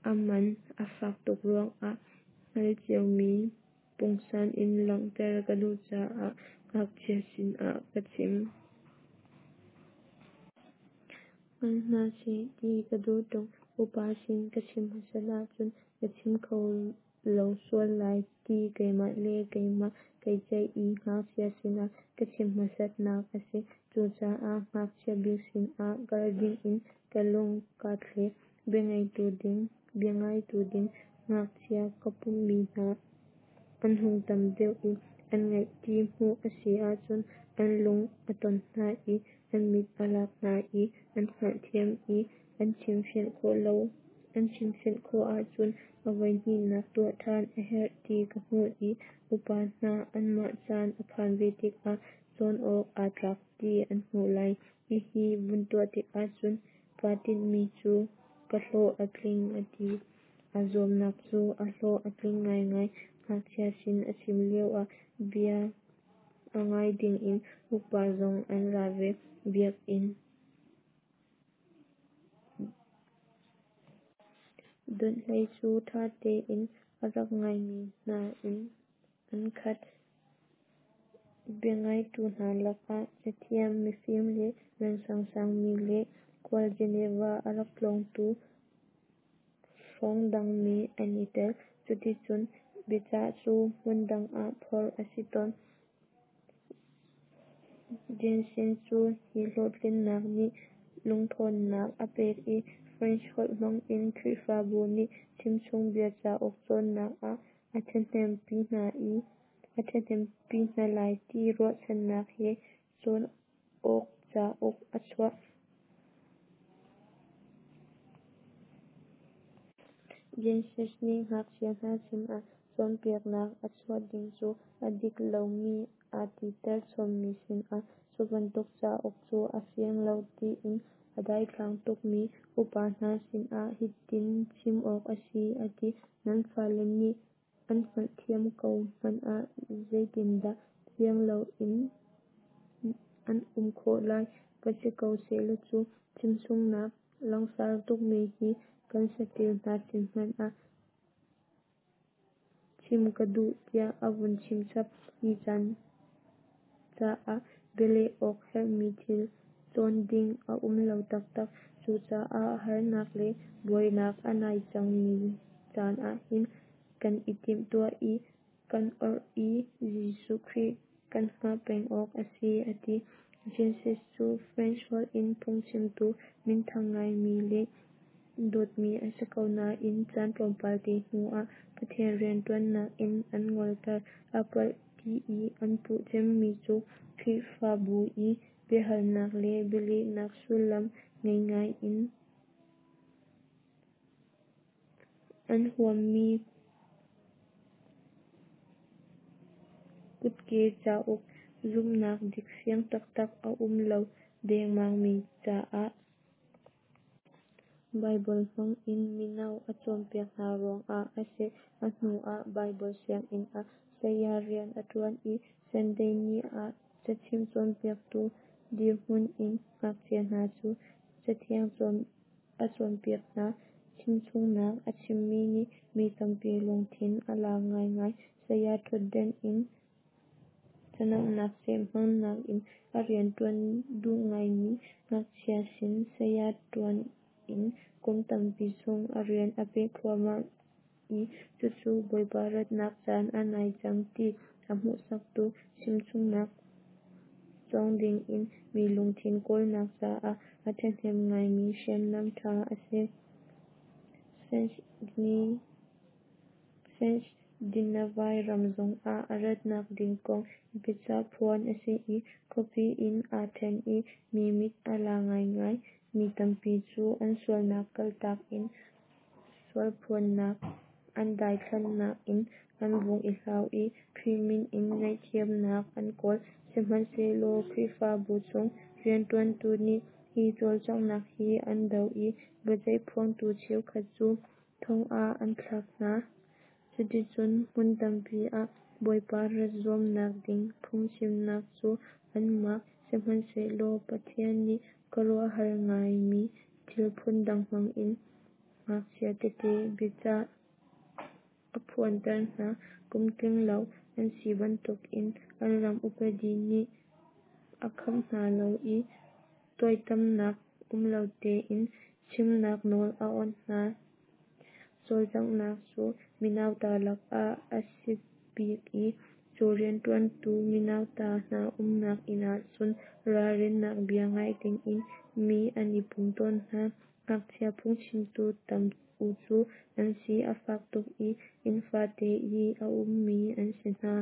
a man a fak tuk ruangah hngalh ciomi pungsan in langhter ka duh caah ngakchia sinah ka chim. Hngal hna seh ti ka duh ṭung. Upa sin ka chim hmasat ahcun ka chim kho lo sual lai ti keimah le keimah kai ceih i ngakchia sinah ka chim hmasatnak a si. Cucaah ngakchia bik sinah kal dingin ka lung kaa thlek. Biangaitu ding ngakchia ka pumhmi hna an hung tam deuh i an ngaih ti hmuh a si ahcun an lung a ton hna i an mit a lak hna i an hngalhthiam i an chimfianh khawh ahcun a voihnihnak tuah ṭhan a herh ti ka hmuh i upa hna anmah caan a phan ve tikah cawn awk aa tlak ti an hmuh lai. Hihi vun tuah tikah cun kaa tinhmi cu ka hlawh a tling a ti. Aa zuamnak cu a hlawh a tling ngaingai. Ngakchia sin a chim lioah bia a ngai dingin upa zong an ra ve. Biakinn donhhlei cu ṭha tein a rak ngaimi hna in an khat. Biangaitu hna lakah cathiam mifim le reng sangsang mi le khual Geneva a rak tlawngtu hrawngdang mi an i tel. Cuticun biacah cu hmun dang ah phorh a si tawn. Jeanson cu hi hlawhtlinnak nih lungṭhawnnak a pek i French holh hmangin Khrihfabu nih chimchungbia cauk cawnnak ah a ṭhathnempi hna lai ti ruahchannak he cawn awk cauk a chuah. Jeanson nih ngakchia hna sinah cawnpiaknak a chuah ding cu a dik lomi aa titer chommi sinah cu bantuk cauk cu a fiang lo tiin a daithlang tukmi upa hna sinah hitin chim awk a si a ti: Nan fale nih an hngalhthiam ko hmanh ah zeitindah fiang loin an um khawh lai? Va si ko sehlaw cu chimchungnak langsar tukmi hi kan saṭil hna sin hmanh ah chim ka duh tiah a vun chim chap. Hi caan caah bialeh awk herhmi thil cawn ding a um lo taktak. Cucaah harnak le buainak a nai cangmi caan ahhin kan i timhtuah i kan orh i Jesuh Khrih kan hngah peng awk a si a ti. Jeanson cu French holh in phungchimtu minthang ngaimi le dawtmi a si ko nain caan tlawmpal te hnuah Pathian rianṭuannak in an ngolter. A palh ti i an puh cemmi cu Khrihfabu i biahalnak le bialehnak sullam ngei ngai in an huammi kutke cauk zumhnak dik fiang taktak a um lo dengmangmi caah Baibal hmangin mino a cawnpiak hna ruangah a si. A hnuah Baibal sianginn ah saya rian a ṭuan i Sunday ni ah cachim cawnpiaktu dirhmun in ngakchia hna cu Cathiang a cawnpiak hna. Chimchungnak a chimmi nih mi tampi lungthin a lak ngaingai. Saya ṭhutden in canamnak seh hmangnak in a rianṭuan duh ngaimi ngakchia sin saya ṭuan in kum tampi chung a rian a peh thluahmah i cucu Bawipa ratnak caan a nai cang ti a hmuhsaktu chimchungnak cawng dingin mi lungthin kawlnak caah a ṭhahnem ngaimi hriamnam ṭha a si. Scandinavia ram zongah a ratnak ding kong biacah phuan a si i khuapi in aa ṭhen i mi mit a la ngaingai. Mi tampi cu an sualnak kaltak in sualphuannak an daithlannak in an vung i hlau i Khrih min in ngaihthiamnak an kawl. Sihmanhsehlaw Khrihfabu chung rianṭuantu nih hi cawlcanghnak hi an doh i biaceih phuangtu cheukhat cu thong ah an thlak hna. Cuticun hmun tampi ah Bawipa rat zuamnak ding phungchimnak cu an mak. Sihmanhsehlaw Pathian nih khuaruahhar ngaimi thil phundang hmangin ngakchia tete biacah a phuanter hna. Kum tlinglo an si bantukin an ram upadi nih a kham hna lo i tuaitamnak um lo tein chimnak nawl a awnh hna. Cawlcanghnak cu minauta lakah a si bik i cu rianṭuantu minauta hna umnak inn ahcun ralrinnak bia ngai dingin mi an i pum tawn hna. Ngakchia phungchimtu tam u cu an si a fak tuk i inn fate i a ummi an si hna.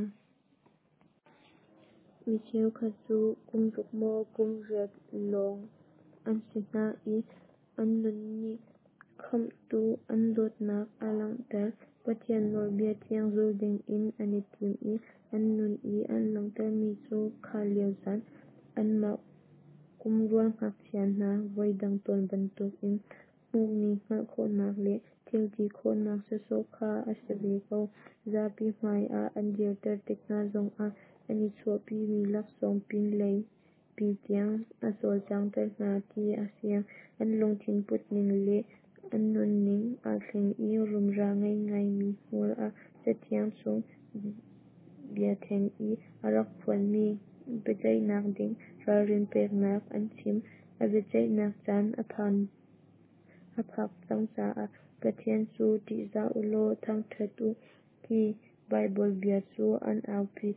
Mi cheukhat cu kum ruk maw kum riat lawng an si hna i an nun nih Khamhtu an dawtnak a langhter. Pathian nawlbia thiang zul dingin an i tim i an nun i an langhtermi cu kha lio caan anmah kum rual ngakchia hna voidang tawn bantukin hmuhmi hngalh khawhnak le thilti khawhnak sawsawh kha a si ve ko. Zapi hmai ah an dirter tik hna zongah an i chuahpimi laksawng pinlei pi tiang a cawlcanghter hna ti a fiang. An lungthin putning le an nunning aa thleng i rumra ngei ngaimi hmual a Cathiang chung bia theng i a rak phuanmi biaceihnak ding ralrin peknak an chim. A biaceihnak caan a phak cang caah Pathian cu ṭihzah ulaw thangṭhat u, ti Baibal bia cu an aupi.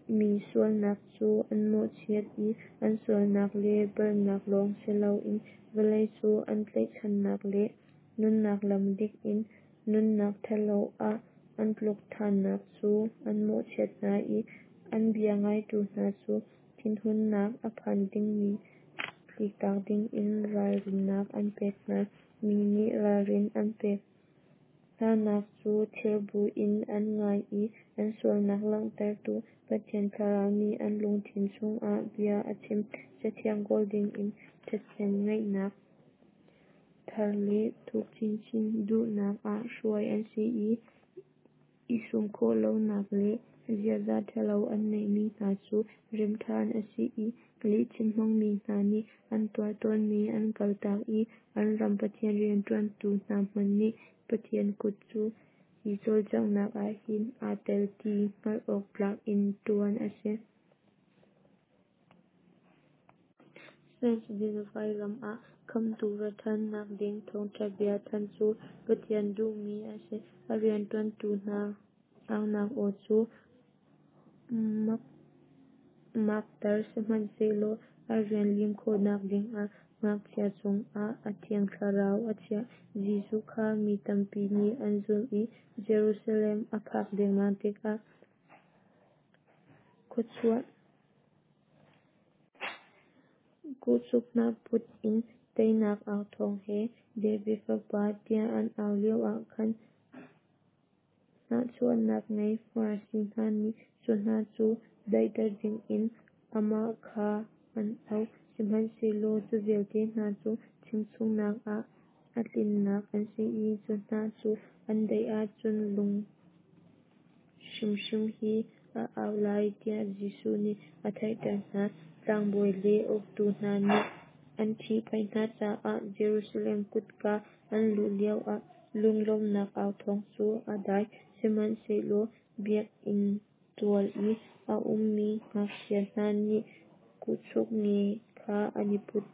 Mi sualnak cu an mawhchiat i an sualnak le palhnak lawng si loin vawlei cu an tlaihchannak le nunnak lam dik in nunnak ṭhalo ah an tluk ṭhannak cu an mawhchiat hna i an bia ngaitu hna cu thinhunnak a phan dingmi tliktak dingin ralrinnak an pek hna. Mi nih ralrin an pek hnanak cu thir buin an ngai i an sualnak langhtertu Pathian Thlarau nih an lungthin chungah bia a chim. Cathiang kawl dingin ṭhathnem ngaihnak thar le thuk chinchin duhnak ah hruai an si i, i sum khawh lonak le ziaza ṭhalo an neihmi hna cu remh ṭhan a si i, lihchim hmangmi hna nih an tuah tawnmi an kaltak i an ram Pathian rianṭuantu hna hmanh nih Pathian kut cu hi cawlcanghnak ah hin aa tel ti hngalh awk tlak in ṭuan a si. Scandinavia ram ah Khamhtu rat ṭhannak ding thawngṭha bia thanh cu Pathian duhmi a si. A rianṭuantu hna aunak aw cu makter sihmanhsehlaw a rian lim khawhnak dingah ngakchia cungah a Thiang Thlarau a chiah. Jesuh kha mi tampi nih an zulh i Jerusalem a phak dengmang tikah khuachuah kuhchuk hnah put in teinak au thawng he David Fapa tiah an au lioah khan hnahchuahnak ngei Farasi hna nih cu hna cu daihter dingin amah kha an auh. Sihmanhsehlaw cu vialte hna cu chimchungnak ah a tlinnak an si i cu hna cu an daih ahcun lung hrimhrim hi a au lai tiah Jesuh nih a theihter hna. Tlangbawi le uktu hna nih an ṭhihphaih hna caah Jerusalem kutka an luh lioah lunglawmhnak au thawng cu a dai. Sihmanhsehlaw biakinn tual i a ummi ngakchia hna nih kuhchuk nge kha an i put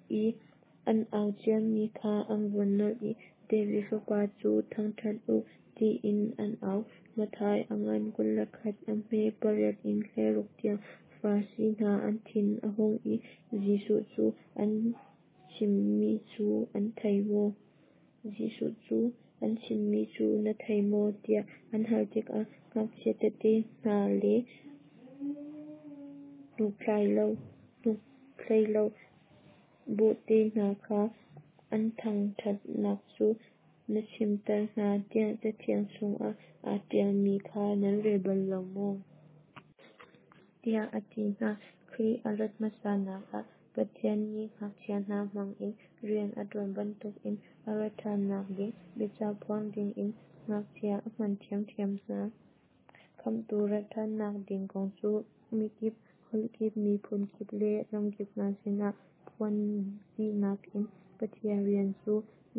i an au ciami kha an vun nolh i David Fapa cu thangṭhat u, tiin an au. Matthai a ngan kul le khat a hme pariat in hleiruk tiang. Farasi hna an thin a hung i Jesuh cu an chimmi cu an thei maw? Jesuh cu an chimmi cu na thei maw? tiah an hal tikah ngakchia tete hna le hnuktlai lo bawhte hna kha an thangṭhatnak cu na chimter hna tiah Cathiang chungah aa ṭialmi kha nan rel bal lo maw? Tiah a ti hna. Khrih a rat hmasanak ah Pathian nih ngakchia hna hmangin rian a ṭuan bantukin a rat ṭhannak ding biacah phuang dingin ngakchia a hman ṭhiamṭhiam hna. Khamhtu rat ṭhannak ding kong cu mikip, holh kip, miphun kip le ramkip hna sinah phuan dihnak in Pathian rian cu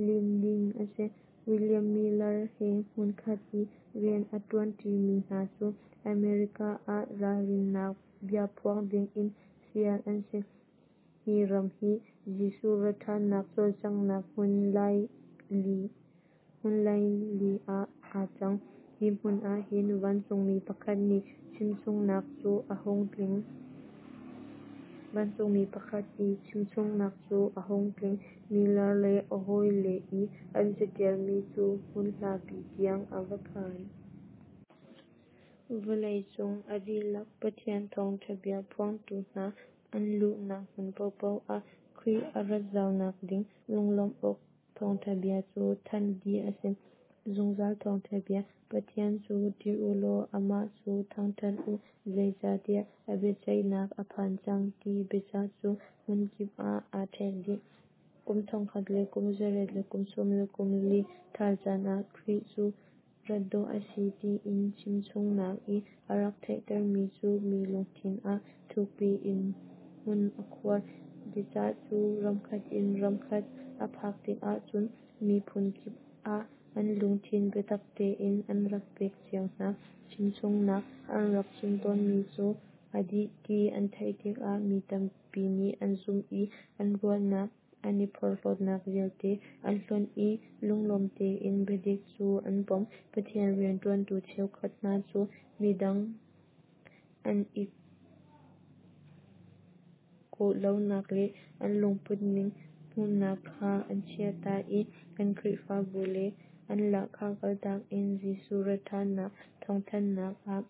lim ding a si. William Miller he hmunkhat i rian a ṭuan ṭimi hna cu America ah ralrinnak bia phuang dingin fial an si. Hi ram hi Jesuh ratṭhannak cawlcanghnak hmun laili ah aa cang. Hi hmun ah hin vancungmi pakhat nih chimchungnak cu a hung tling. Vancungmi pakhat i chimchungnak cu a hung tling. Miller le a hawile i an caṭialmi cu hmun hlapi tiang a va phan. Vawlei cung a dihlak Pathian thawngṭha bia phuangtu hna an luhnak hmun paohpaoh ah Khrih a rat zaunak ding lunglawmh awk thawngṭha bia cu thanh dih a si. Zungzal thawngṭha bia, Pathian cu ṭih u law amah cu thangṭhat u, zeicahtiah a biaceihnak a phan cang, ti biacah cu hmunkip ah aa ṭhek dih. Kum thongkhat le kum zariat le kum sawm le kum li ṭhal caan ah Khrih cu rat dawh a si tiin chimchungnak i a rak theihtermi cu mi lungthin ah thukpi in hmun a khuar. Biacah cu ramkhat in ramkhat a phak tikah cun miphun kip ah an lungthin biatak tein an rak pek cio hna. Chimchungnak an rak chim tawnmi cu a dik ti an theih tikah mi tampi nih an zumh i an ruahnak an i porhlawtnak vialte an hlonh i lunglawm tein biadik cu an pom. Pathian rianṭuantu cheukhat hna cu midang an i kawhlonak le an lungputning hmuhnak kha an chiahtak i an Khrihfabu le an lahkhah kaltak in Jesuh ratṭhannak thawngthanhnak ah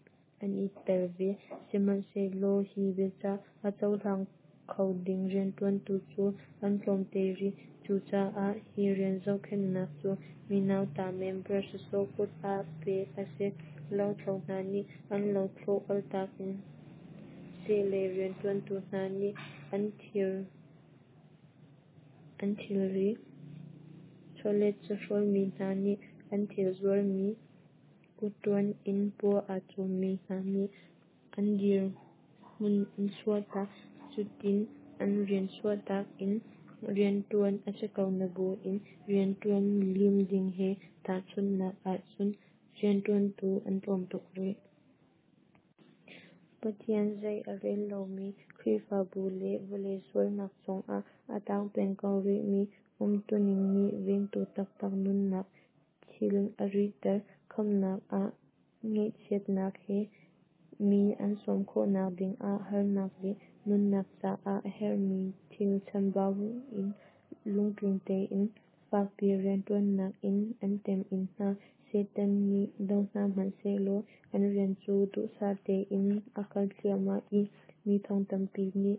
an i tel ve. Sihmanhsehlaw hi biacah a cohlang kho ding rianṭuantu cu an tlawmte rih. Cucaah hi rian zohkhenhnak cu mi nauta member sawsawh kut ah pek a si. Lothlo hna nih an lothlawh kaltak in seh lei rianṭuantu hna nih an thilri, chawlet chawhrawlmi hna nih an thil zuarmi, kutṭuan in paw aa cawmmi hna nih an dirhmun an chuahtak. Cutin an rian chuahtak in rianṭuan a si ko nabuin rianṭuan lim ding he tahchunhnak ahcun rianṭuantu an tlawm tuk rih. Pathian zei a rel lomi Khrihfabu le vawlei sualnak chungah a tang peng ko rihmi umtuning nih vengtu taktak nunnak thil a rihter. Khamhnak ah ngaihchiatnak he mi an sawm khawhnak dingah harnak le nunnak caah a herhmi thil chambau in lungtling tein fakpi rianṭuannak in an temhin hna. Satan nih do hna hmanh sehlaw an rian cu duhsah tein a kal thliahmah i mi thong tampi nih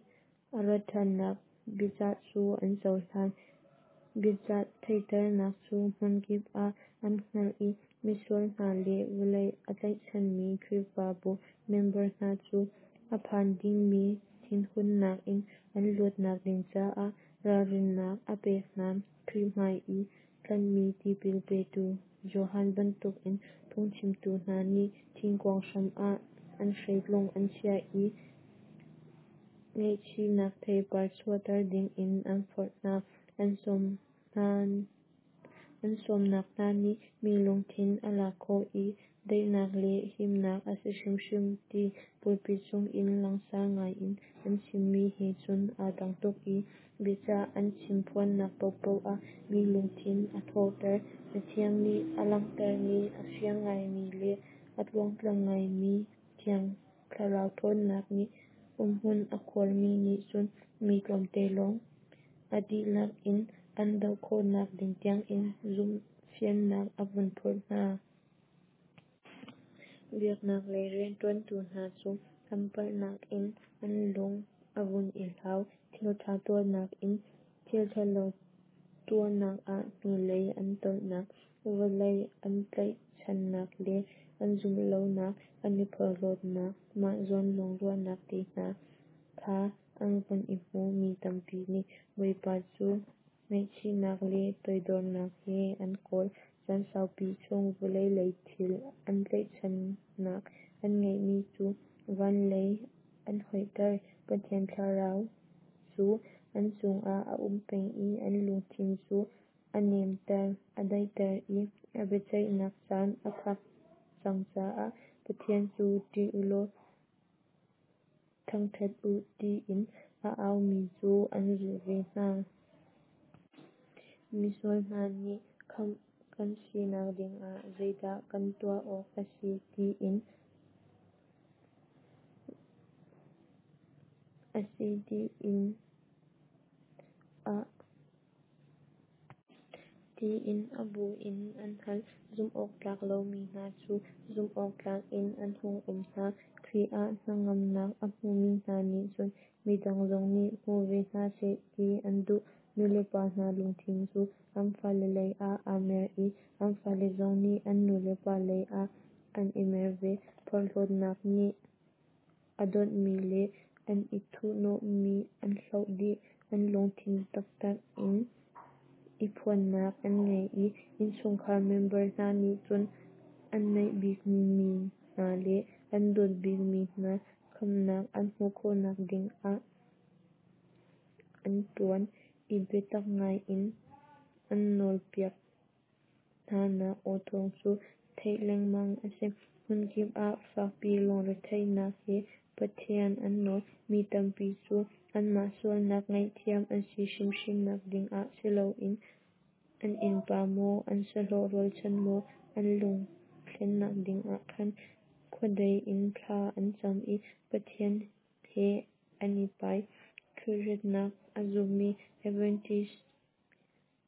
a ratṭhannak biacah cu an cohlan. Biacah theihternak cu hmunkip ah an hngalh i misual hna le vawlei a tlaihchanmi Khrihfabu member hna cu a phan dingmi thinhunnak in an luatnak ding caah ralrinnak a pek hna. Khrih hmai i tlanhmi tipil petu Johan bantukin phungchimtu hna nih thingkuang hram ah an hreitlung an chiah i ngaihchihnak theipar chuahter dingin an forh hna. An sawmnak hna nih mi lungthin a lak khawh i daihnak le himnak a si hrimhrim ti pulpit cungin langsar ngaiin an chimmi he cun aa dang tuk i biacah an chimphuannak paohpaoh ah mi lungthin a thawhter. Cathiang nih a langhtermi a fiang ngaimi le a tluangtlam ngaimi Thiang Thlarau ṭhawnnak nih umhmun a khuarmi nih cun mi tlawmte lawng a dihlak in an doh khawhnak ding tiangin zumhfiannak a vun phurh hna. Biaknak lei rianṭuantu hna cu an palhnak in an lung a vun i hlau. Thilṭha tuahnak in thilṭhalo tuahnak ah hnulei an tolhnak, vawlei an tlaihchannak le an zumhlonak, an i porhlawtnak, mah zawn lawng ruahnak te hna kha an vun i hmu. Mi tampi nih Bawipa cu ngaihchihnak le toidornak he an kawl. Caan saupi chung vawlei lei thil an tlaihchannak an ngeihmi cu van lei an hoihter. Pathian Thlarau cu an chungah a um peng i an lungthin cu a nemter a daihter i a biaceihnak caan a phak cang caah Pathian cu ṭih u law thangṭhat u, ti in a aumi cu an zulh ve hna. Misual hna nih khamh kan sinak dingah zeidah kan tuah awk a si tiin a si tiin a tiin a bu in an hal. Zumhawktlak lomi hna cu zumhawktlak in an hung um hna. Khrih ah hnangamnak a hmumi hna nih cun midang zong nih hmu ve hna seh ti an duh. Nulepa hna lungthin cu an fale lei ah aa mer i an fale zong nih an nulepa lei ah an i mer ve. Porhlawtnak nih a dawnhmi le an i thuhnawhmi an hloh dih. An lungthin taktak in i phuannak an ngei i innchungkhar member hna nih cun an naih bikmi hna le an dawt bikmi hna khamhnak an hmuh khawhnak dingah an ṭuan i biatak ngai in an nawlpiak hnanak aw thawng cu theih lengmang a si. Hmunkip ah fakpi lungretheihnak he Pathian an nawl. Mi tampi cu anmah sualnak ngaihthiam an si hrimhrimnak dingah si loin an innpa maw, an sahlawh rualchan maw an lung thlennak dingah khan khuadei in thla an cam i Pathian he an i pai. Khrih ratnak a zummi Adventist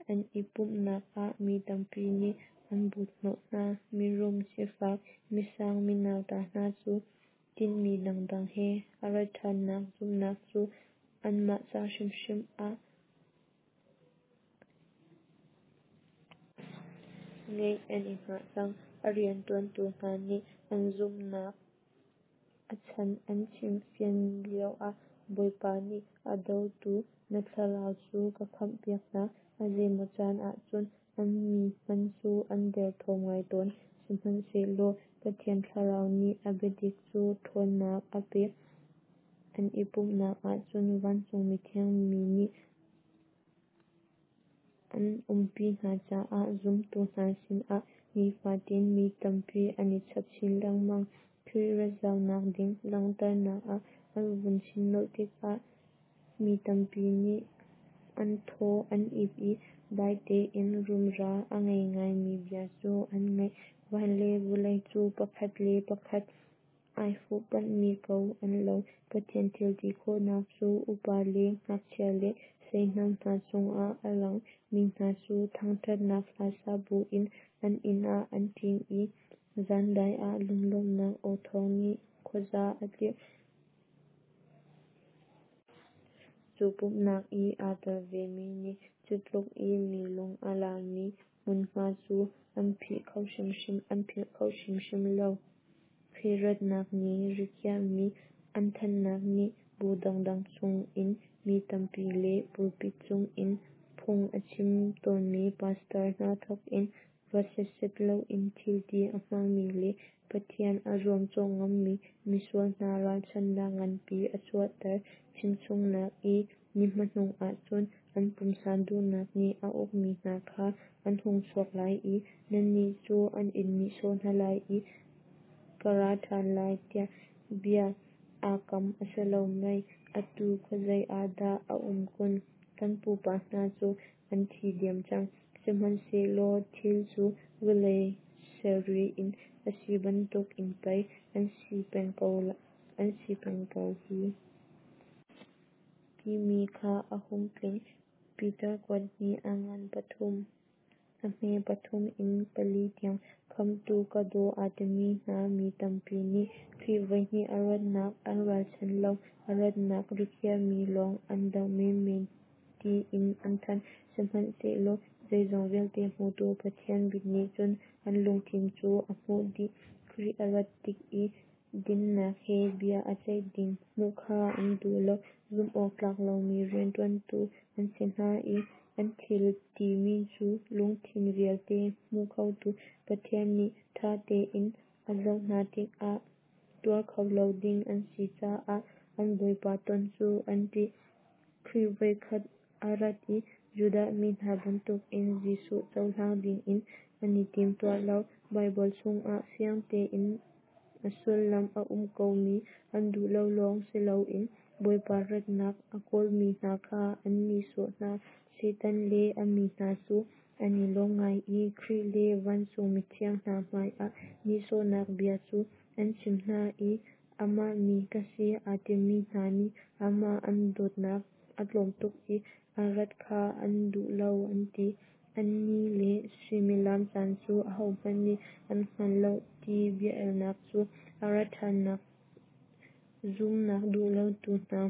an i pumhnak ah mi tampi nih an but hnawh hna. Mirum, sifak, misang, mi nauta hna cu tinhmi dangdang he a rat ṭhannak zumhnak cu anmah ca hrimhrim ah ngeih an i hngah cang. A rianṭuantu hna nih an zumhnak a chan an chimfian lioah Bawipa nih a dotu na thlarau cu ka khamhpiak hna. A zeimaw caan ahcun an mi hmanh cu an derthawm ngai tawn. Sihmanhsehlaw Pathian Thlarau nih a biadik cu ṭhawnnak a pek. An i pumhnak ah cun vancung mithiang mi nih an umpi hna caah zumtu hna sinah nifatin mi tampi an i chap chin lengmang. Khrih rat zaunak ding langhternak an vun chim nolh tikah mi tampi nih an thaw an ip i dai tein rumra a ngei ngaimi bia cu an ngaih. Van le vawlei cu pakhat le pakhat ai fuhpanhmi ko an lo. Pathian thil ti khawhnak cu upa le ngakchia le seihnam hna cungah a lang. Mi hna cu thangṭhatnak hla sa buin an inn ah an ṭin i zandai ah lunglawmhnak aw thawng nih khuaza a tlirh. Cu pumhnak i aa tel vemi nih cu tluk i mi lung a lami hmunhma cu an philh kho hrimhrim an philh kho hrimhrim lo. Khrih ratnak ni rikhiahmi an thanhnak nih bu dangdang chungin mi tampi le pulpit cungin phung a chim tawnmi pastor hna thawkin ruat setset loin thil ti a hmangmi le Pathian a zuamcawh ngammi misual hna ralchanhnak nganpi a chuahter. Chimchungnak i ni hmanung ah cun an pumsa duhnak nih a ukmi hna kha an hung chuak lai i nannih cu an in nihsawh hna lai i ka ra ṭhan lai tiah bia aa kam a si lo mei? Atu khuazei ah dah a um kun? Kan pupa hna cu an thi diam cang, sihmanhsehlaw thil cu vawlei ser ri in a si bantukin pei an si peng ko an si peng ko hi. Timi kha a hung tling. Piter kuatmi a ngan pathum a hme pathum in pali tiang. Khamhtu ka daw aa timi hna mi tampi nih Khrih voihnih a ratnak an ralchan lo, a ratnak rikhiahmi lawng an doh menmen tiin an thanh. Sihmanhsehlaw zeizong vialte hmutu Pathian mit nih cun an lungthin cu a hmuh dih. Khrih a rat tik i dinnak he bia a ceih ding hmuh kha an duh lo. Zumh awk tlak lomi rianṭuantu an si hna i an thil timi cu lungthin vialte hmu khotu Pathian nih ṭha tein a zoh hna tikah tuar kho lo ding an si caah an Bawipa ton cu an ṭih. Khrih voikhat a rat i Judah mi hna bantukin Jesuh cohlang dingin an i timtuah lo. Baibal chungah fiang tein a sullam a um ko mi an duh lo lawng si loin Bawipa ratnak a kawlmi hna kha an nihsawh hna. Satan le a mi hna cu an i lawm ngai i Khrih le vancung mithiang hna hmaiah nihsawhnak bia cu an chim hna i amah mi ka si aa timi hna nih amah an dawtnak a tlawm tuk i a rat kha an duh lo an ti. A ni le suimilam caan cu ahohmanh nih an hngal lo ti bia-elnak cu a rat ṭhannak zumhnak duh lotu hna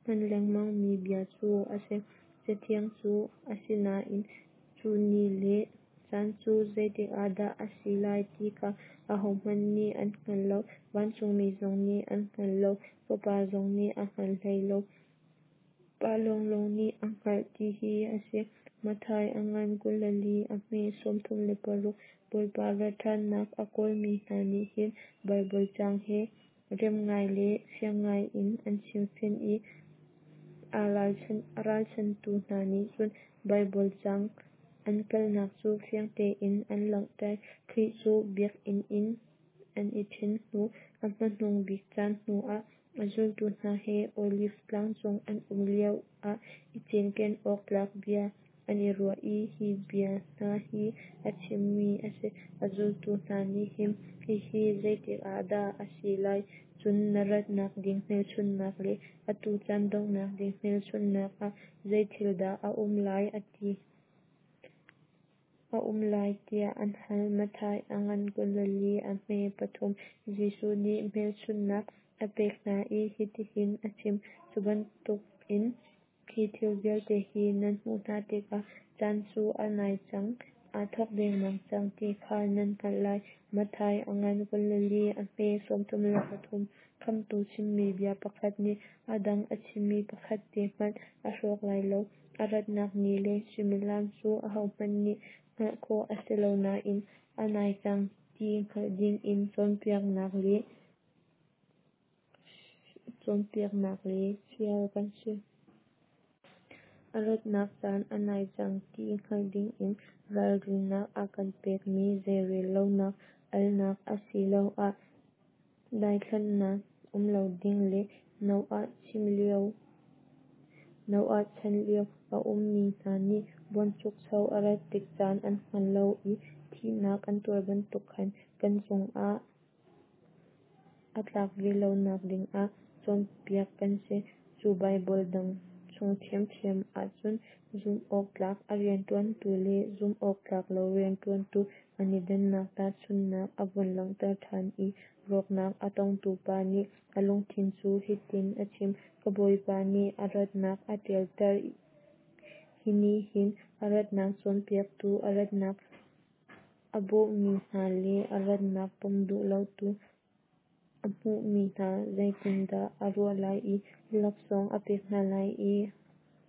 hman lengmang mi bia cu a si. Cathiang cu Asinain cu ni le caan cu zeitik ah dah a si lai ti kha ahohmanh nih an hngal lo, vancungmi zong nih an hngal lo, Fapa zong nih a hngal hlei lo, Pa lawnglawng nih a hngalh ti hi a si. Matthai a ngan kul le li, a hme sawmthum le paruk. Bawipa rat ṭhannak a kawlmi hna nih hin Baibal caang he rem ngai le fiang ngai in an chimfian i a ralchantu hna nih cun Baibal caang an palhnak cu fiang tein an langhter. Khrih cu biakinn in an i ṭhen hnu a hmanung bik caan hnu ah a zultu hna he Oliv tlang cung an um lio ah i cinken awk tlak bia an i ruah i hi bia hna hi a chimmi a si. A zultu hna nih hin, Hihi zeitik ah dah a si lai? Cun na ratnak ding hmelchunhnak le atu caan donghnak ding hmelchunhnak ah zei thil dah a um lai, a ti a um lai tiah an hal. Matthai a ngan kul le li, a hme pathum. Jesuh nih hmelchunhnak a pek hna i hitihin a chim: Cu bantukin hi thil vialte hi nan hmuh hna tikah caan cu a nai cang, aa thawk dengmang cang ti kha nan hngalh lai. Matthai a ngan kul le li, a hme sawmthum le pathum. Khamhtu chimmi bia pakhat nih a dang a chimmi pakhat te hmanh a hrawk lai lo. A ratnak ni le suimilam cu ahohmanh nih hngalh khawh a si lo nain a nai cang ti hngalh dingin cawnpiaknak le cawnpiaknak le fial kan si. A ratnak caan a nai cang ti hngalh dingin ralrinnak a kan pekmi zeirel lonak, alnak asiloah daithlannak um lo ding le Noah chim lio Noah chan lio a ummi hna nih buanchukcho a rat tik caan an hngal lo i thihnak an tuar bantuk khan kan cungah a tlak ve lonak dingah cawnpiak kan si. Cu Baibal dang chung ṭhiamṭhiam ahcun zumh awktlak a rianṭuantu le zumh awktlak lo rianṭuantu an i dannak tahchunhnak a vun langhter ṭhan i rawknak a tongtu pa nih a lungthin cu hitin a chim: Ka bawipa nih a ratnak a ṭialter. Hi nih hin a ratnak cawnpiaktu, a ratnak a bawhmi hna le a ratnak pom duh lotu a hmuhmi hna zeitindah a ruah lai i laksawng a pek hna lai ti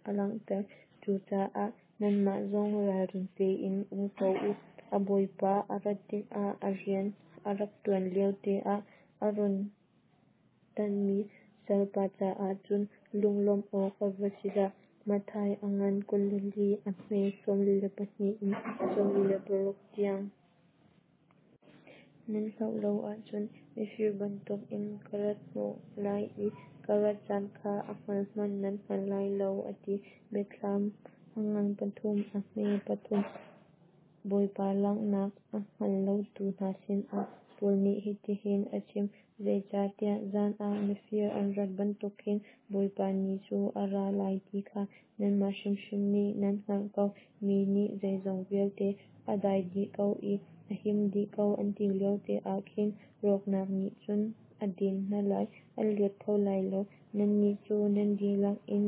a langhter. Cucaah nanmah zong ralring tein um ko u. A bawipa a rat tikah a rian a rak ṭuan liote ah a run tanhmi salpa caah cun lunglawmh awk a va si dah! Matthai a ngan kul le li, a hme sawmli le pahnih in sawmli le paruk tiang. Nan hlauh lo ahcun mifir bantukin ka rat hnawh lai i ka rat caan kha a hngalh hmanh nan hngal lai lo, a ti. Biathlam a ngan pathum, a hme pathum. Bawipa langhnak a hngal lotu hna sinah Paul nih hitihin a chim: Zeicahtiah zan ah mifir an rat bantuk khin Bawipa Ni cu a ra lai ti kha nanmah hrimhrim nih nan hngalh ko. Mi nih zeizong vialte a dai dih ko i a him dih ko an ti liote ah khin rawknak nih cun a den hna lai, an luat kho lai lo. Nannih cu nan dihlak in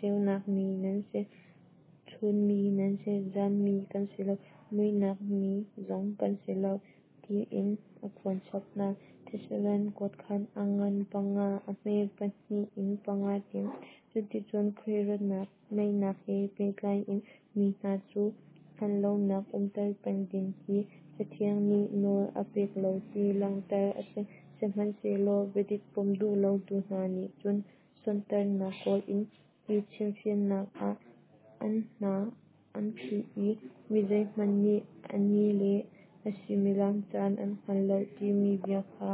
ceunak mi nan si, chun mi nan si, zan mi kan si lo, muihnak mi zong kan si lo, tiin a phuan chap hna. Thesalon kuatkhat a ngan panga, a hme pahnih in panga tiang. Cuticun Khrih ratnak naihnak he pehtlai in mi hna cu hngal lonak umter peng ding hi Cathiang nih nawl a pek lo ti langhter a si. Sihmanhsehlaw biadik pom duh lotu hna nih cun sonhtarhnak kawl in hi chimfiannak ah An hna an phih i mi zeihmanh nih a ni le a suimilam caan an hngal lo timi bia kha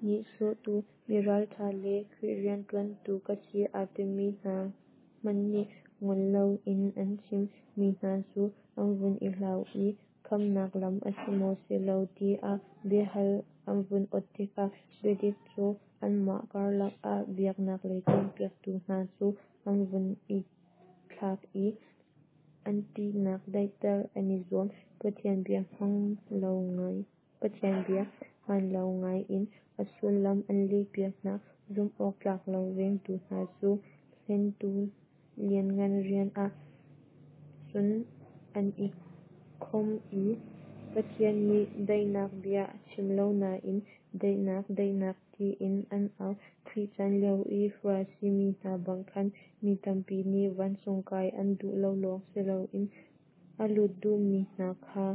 nihsawhtu, mi ralṭha le Khrih rianṭuantu ka si aa timi hna hmanh nih ngol loin an chim. Mi hna cu an vun i hlau i khamhnak lam a si maw si lo tiah biahal an vun awt tikah biadik cu anmah karlak ah biaknak lei cawnpiaktu hna cu an vun i thlak i an ṭihnak daihter an i zuam. Pathian bia hmaan lo ngai in a sullam an lehpiak hna. Zumh awk tlak lo vengtu hna cu hlentu lianngan rian ah cun an i khawm i Pathian nih daihnak bia a chim lo nain daihnak, daihnak tiin an au. Khrih chan lio i Farasi mi hna bang khan mi tampi nih vancung kai an duh lo lawng si loin a lut duhmi hna kha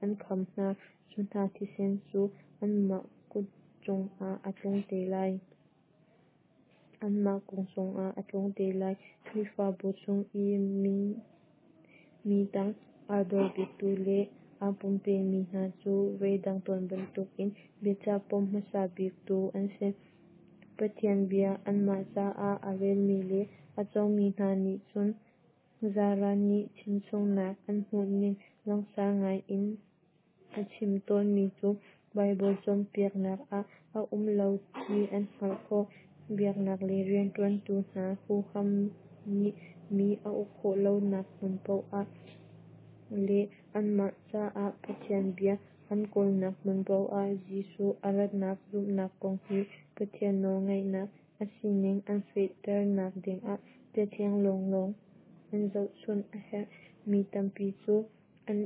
an kham hna. Cu hna thisen cu anmah kut cungah a tlung te lai. Anmah kung cungah a tlung te lai. Khrihfabu chung i mi tang aa dor biktu le aa pumpemi hna cu voidang tawn bantukin biacah pom hmasa biktu an si. Pathian bia anmah caah a relmi le a cawngmi hna nih cun zaran nih chimchungnak an hmuhning langsar ngai in a chim tawnmi cu Baibal cawnpiaknak ah a um lo ti an hngalh khawh. Biaknak lei rianṭuantu hna huham nih mi a uk khawh lonak hmun paoh ah le anmah caah Pathian bia an kawlnak hmun paoh ah Jesuh a ratnak zumhnak kong hi Pathian nawlngaihnak a sining an fehternak dingah Cathiang lawnglawng an zohchun a herh. Mi tampi cu an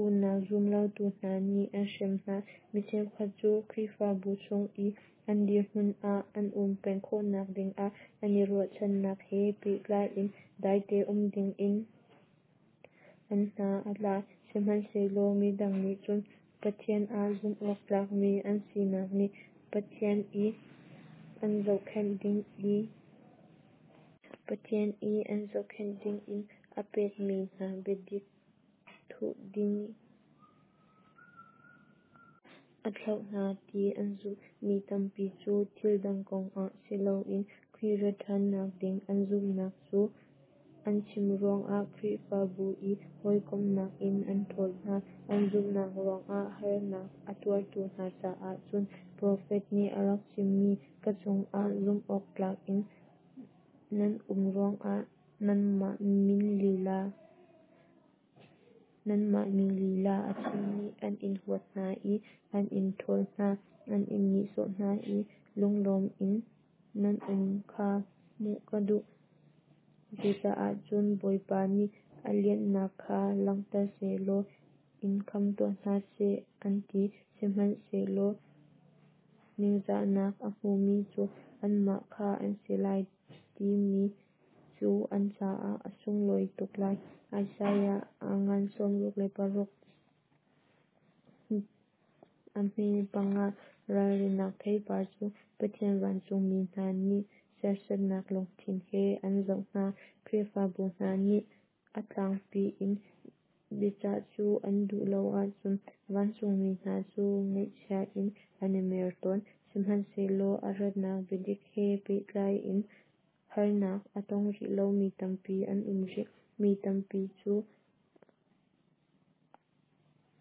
unau zumlotu hna nih an hrem hna. Mi cheukhat cu Khrihfabu chung i an dirhmun ah an um peng khawhnak dingah an i ruahchannak he pehtlai in daite um dingin an hna a tla. Sihmanhsehlaw midang nih cun Pathian ah zumh awk tlakmi an sinak nih Pathian i an zohkhenh ding i Pathian i an zohkhenh dingin a pekmi hna biadik thuh ding a thlauh hna ti an zumh. Mi tampi cu thil dang kongah si loin Khrih rat ṭhannak ding an zumhnak cu an chim ruangah Khrihfabu i hawikomhnak in an ṭhawl hna. An zumhnak ruangah harnak a tuartu hna caah cun profet nih a rak chimmi ka cungah zumh awk tlak in nan um ruangah nanmah min lila Nanmah min lila a chim nih an in huat hna i an in ṭhawl hna, an in nihsawh hna i lunglawm in nan um kha hmuh ka duh. Cucaah cun Bawipa nih a lianhnak kha langhter sehlaw in khamh tuah hna seh, an ti. Sihmanhsehlaw ningzahnak a hmumi cu anmah kha an si lai timi cu an caah a sunglawi tuk lai. Isaiah a ngan sawmruk le paruk a hme panga ralrinnak theipar cu Pathian vancungmi hna nih serhsatnak lungthin he an zoh hna. Khrihfabu hna nih a tlangpi in biacah cu an duh lo ahcun vancungmi hna cu ngaihchia in an i mer tawn. Sihmanhsehlaw a ratnak biadik he pehtlai in harnak a tong rih lomi tampi an um rih. Mi tampi cu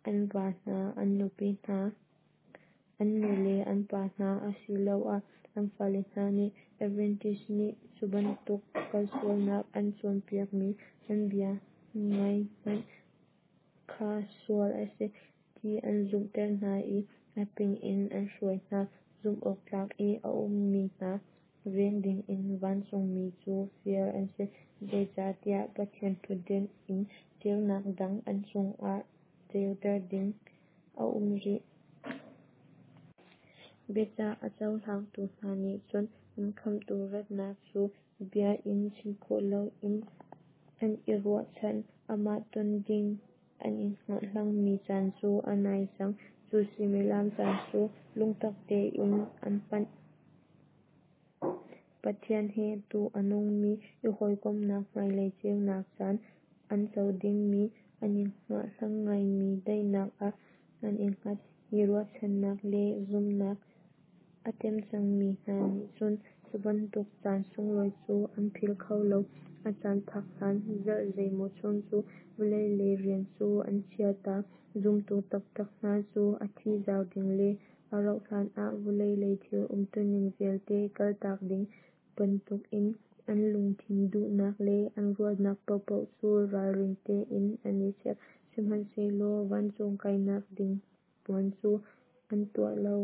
an va hna, an nupi hna, an nu le an pa hna asiloah an fale hna nih Adventist nih cu bantuk kalsualnak an cawnpiakmi an bia ngaih hmanh kha sual a si ti an zumhter hna i a ping in an hruai hna. Zumh awk tlak i a ummi hna veng dingin vancungmi cu fial an si. Zeicahtiah Pathian ṭhutden in ceunak dang an cungah ceuter ding a um rih. Biacah a cohlangtu hna nih cun an Khamhtu ratnak cu bia in chim khawh loin an i ruahchan. Amah ton ding an i hngahhlangmi caan cu a nai cang. Cu suimilam caan cu lungtak tein an panh. Pathian he tu a nungmi i hawikomhnak hmailei ceunak caan an co dingmi an i hngahhlang ngaimi daihnak ah an i hngat. Hi ruahchannak le zumhnak a tem cangmi hna nih cun cubantuk caan sunglawi cu an philh kho lo. A caan phak hlan zarh zeimaw chung cu vawlei lei rian cu an chia ta. Zumtu taktak hna cu a thi zau ding le a rauh hlanah vawlei lei thil umtuning vialte kaltak ding bantukin an lungthin duhnak le an ruahnak paohpaoh cu ralring tein an i chek, sihmanhsehlaw vancung kainak ding puan cu an tuah lo.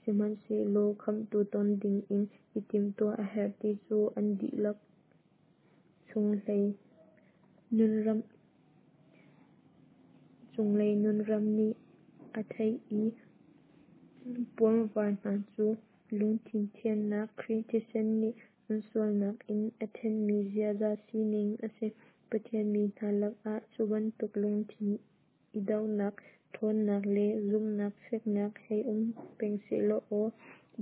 Sihmanhsehlaw Khamhtu ton dingin i timhtuah a herh ti cu an dihlak chunglei nunram nih a theih i puanvar hna cu lungthin thiannak Khrih thisen nih an sualnak in a thenhmi ziaza sining a si. Pathian mi hna lakah cubantuk lungthin i dohnak ṭhawnnak le zumhnak feknak hei um peng sehlaw aw!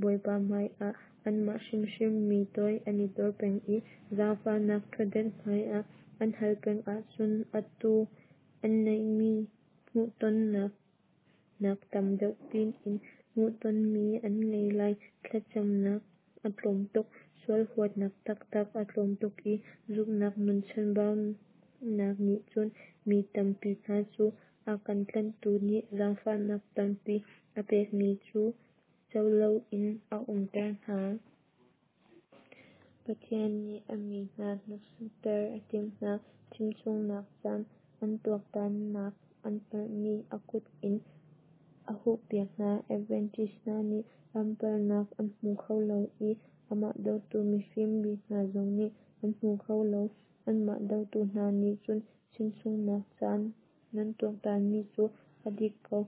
Bawipa hmaiah anmah hrimhrim mi toi an i dor peng i zaangfahnak ṭhutdan hmaiah an hal peng ahcun atu an neihmi hmuhtonnak nak tam deuh piin hmuhtonmi an ngei lai. Thlacamnak a tlawmtuk, sual huatnak taktak a tlawmtuk i zumhnak nun chanbaunak nih cun mi tampi hna cu a kan tlanhtu nih zaangfahnak tampi a pekmi cu co loin a umter hna. Pathian nih a mi hna hneksakter a timh hna. Chimchungnak caan an tuaktannak an palhmi a kut in a huhpiak hna. Adventist hna nih an palhnak an hmu kho lo i amah dotu mifim mi hna zong nih an hmu kho lo. Anmah dotu hna nih cun chimchungnak caan nan tuaktanmi cu a dik ko,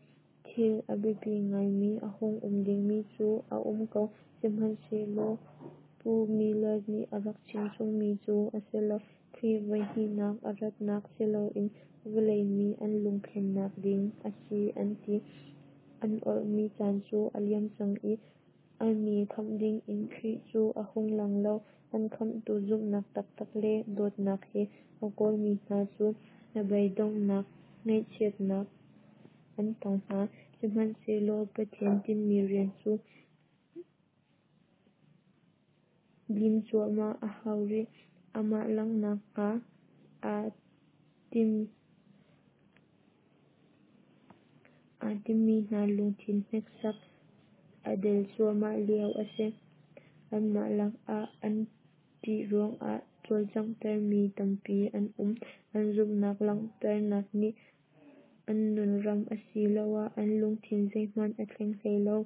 thil a biapi ngaimi a hung um dingmi cu a um ko, sihmanhsehlaw Pu Miller nih a rak chimchungmi cu a si lo. Khrih voihnihnak a ratnak siloin vawlei mi an lungthlennak ding a si an ti. An awrhmi caan cu a liam cang i a mi khamh dingin Khrih cu a hung lang lo. An khamhtu zumhnak taktak le dawtnak he a kawlmi hna cu hnabeidonghnak, ngaihchiatnak an tong hna. Sihmanhsehlaw Pathian tinhmi rian cu lim cuahmah a hau rih. Amah langhnak hnga aa timmi hna lungthin hneksak a del cuahmah lio a si. Anmah lakah an ṭih ruangah cawlcanghtermi tampi an um. An zumhnak langhternak nih an nunram asiloah an lungthin zeihmanh a thleng hlei lo.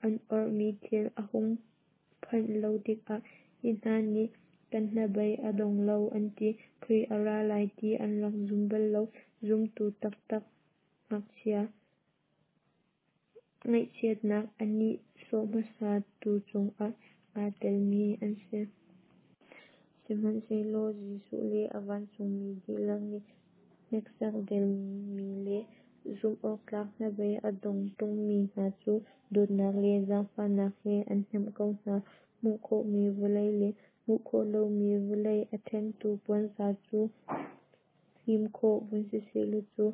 An awrhmi thil a hung phanh lo tikah hi hna nih kan hnabei a dong lo an ti. Khrih a ra lai ti an rak zum bal lo. Zumtu taktak ngaihchiatnak a nihsawh hmasatu chungah aa telmi an si. Sihmanhsehlaw Jesuh le a vancungmi dihlak nih hneksak delmi le zumhawktlak hnabei a dong ṭungmi hna cu dawtnak le zaangfahnak he an hnemh ko hna. Hmuh khawhmi vawlei le hmuh khawh lomi vawlei a ṭhentu puanzar cu hlim khawh vun sisehlaw cu,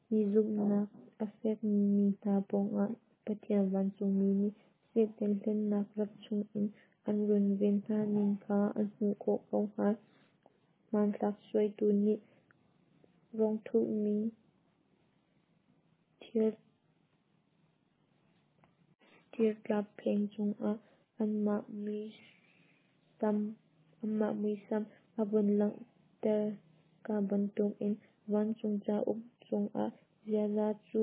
hi zumhnak a fekmi hna pawngah Pathian vancungmi nih Satan hlennak rap chungin an runven hna ning kha an hmuh khawh ko hnga. Hmanthlak suaitu nih rong thuhmi thirtlap pheng cungah anmah muisam a vun langhter ka bantukin vancung cauk chungah ziaza cu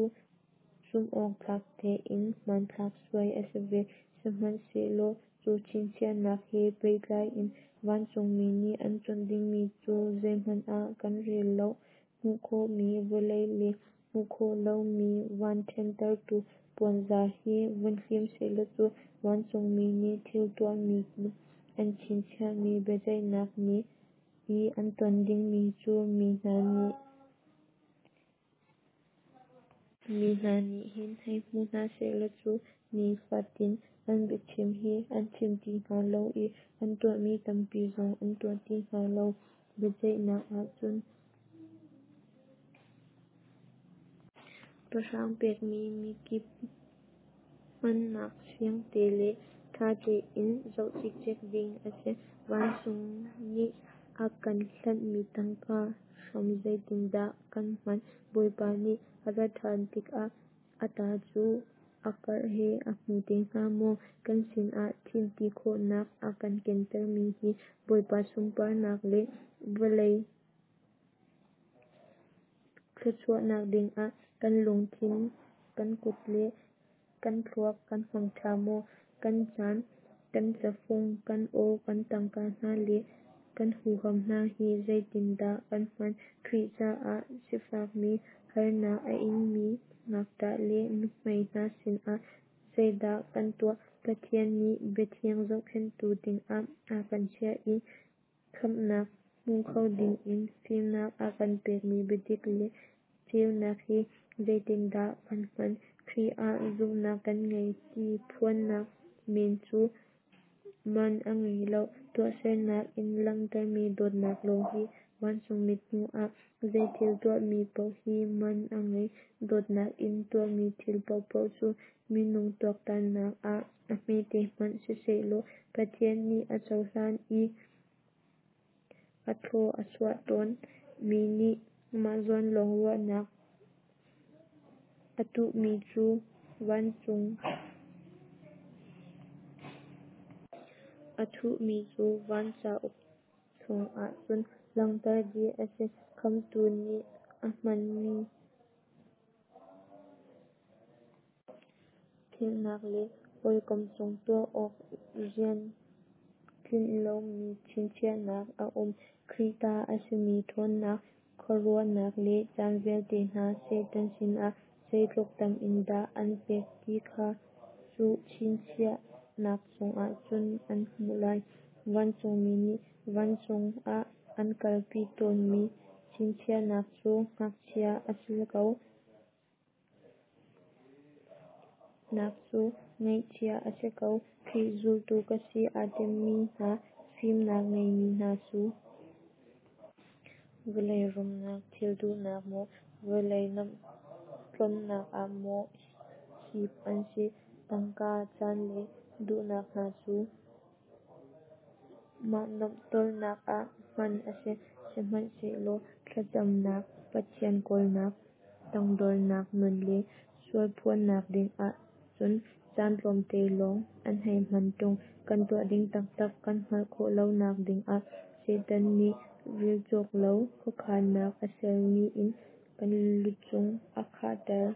zumhawktlak tein hmanthlak suai a si ve. Sihmanhsehlaw cu chinchiahnak he pehtlai in vancungmi nih an chawnh dingmi cu zeihmanh ah kan rel lo. Hmuh khawhmi vawlei le hmuh khawh lomi van ṭhentertu puanzar hi vun hlim sehlaw cu, vancungmi nih thil tuahmi nih an chinchiahmi biaceihnak ni i an ton dingmi cu mi hna nih Mi hna nih hin hei hmu hna sehlaw cu nifatin an biachim hi an chim ti hnga lo i an tuahmi tampi zong an tuah ti hnga lo. Biaceihnak ah cun pahrang pekmi mikip hmannak fiang te le ṭha tein zoh cikcek ding a si. Vancung nih a kan hlanhmi tangka hram zeitindah kan hman? Bawipa nih a rat ṭhan tikah a ta cu a karh he a hmu te hna maw? Kan sinah thilti khawhnak a kan kentermi hi Bawipa sunparnak le vawlei thluachuahnak dingah kan lungthin, kan kut le kan thluak kan hmang ṭha maw? Kan caan, kan cafung, kan aw, kan tangka hna le kan huham hna hi zeitindah kan hman? Khrih caah sifakmi, harnak a ingmi, ngakṭah le nuhmei hna sinah zeidah kan tuah? Pathian nih biathiang zohkhenhtu dingah a kan chiah i khamhnak hmu kho dingin fimnak a kan pekmi biadik le ceunak hi zeitindah kan hman? Khrih ah zumhnak kan ngei ti phuannak men cu man a ngei loh. Tuahsernak in langhtermi dawtnak lawng hi vancung mithmuh ah zeithil tuahmi paoh hi man a ngei. Dawtnak in tuahmi thil paohpaoh cu minung tuaktannak ah a hmete hmanh sisehlaw Pathian nih a cohlan i a thlaw a chuah tawn. Mi nih mah zawn lawng ruahnak a tuhmi cu vancung a thuhmi cu van cauk chungah cun langhter dih a si. Khamhtu nih a hmanmi philhnak le hawikom cung tuah awk rian tlinh lomi chinchiahnak a um. Khrih ta a simi ṭhawnnak, khuaruahnak le caan vialte hna Satan sinah zeitluk tam in dah an pek ti kha cu chinchiahnak chungah cun an hmuh lai. Vancungmi nih vancung ah an kalpi tawnmi chinchiahnak cu ngakchia a si ko. Nak cu ngeihcia a si ko. Khrih zultu ka si aa timi hna, fimnak ngeimi hna cu vawlei rumnak thil duhnak maw, vawlei nuamhtlonnak ah maw hip an si. Tangka, caan le duhnak hna cu mah nuamhtawlnak ah hman a si. Sihmanhsehlaw thlacamnak, Pathian kawlnak, tangdornak nun le sualphuannak dingah cun caan tlawmte lawng an hei hman ṭung. Kan tuah ding taktak kan hngalh khawh lonak dingah Satan nih relcawk lo khuakhannak a sermi in kan lucung a khahter.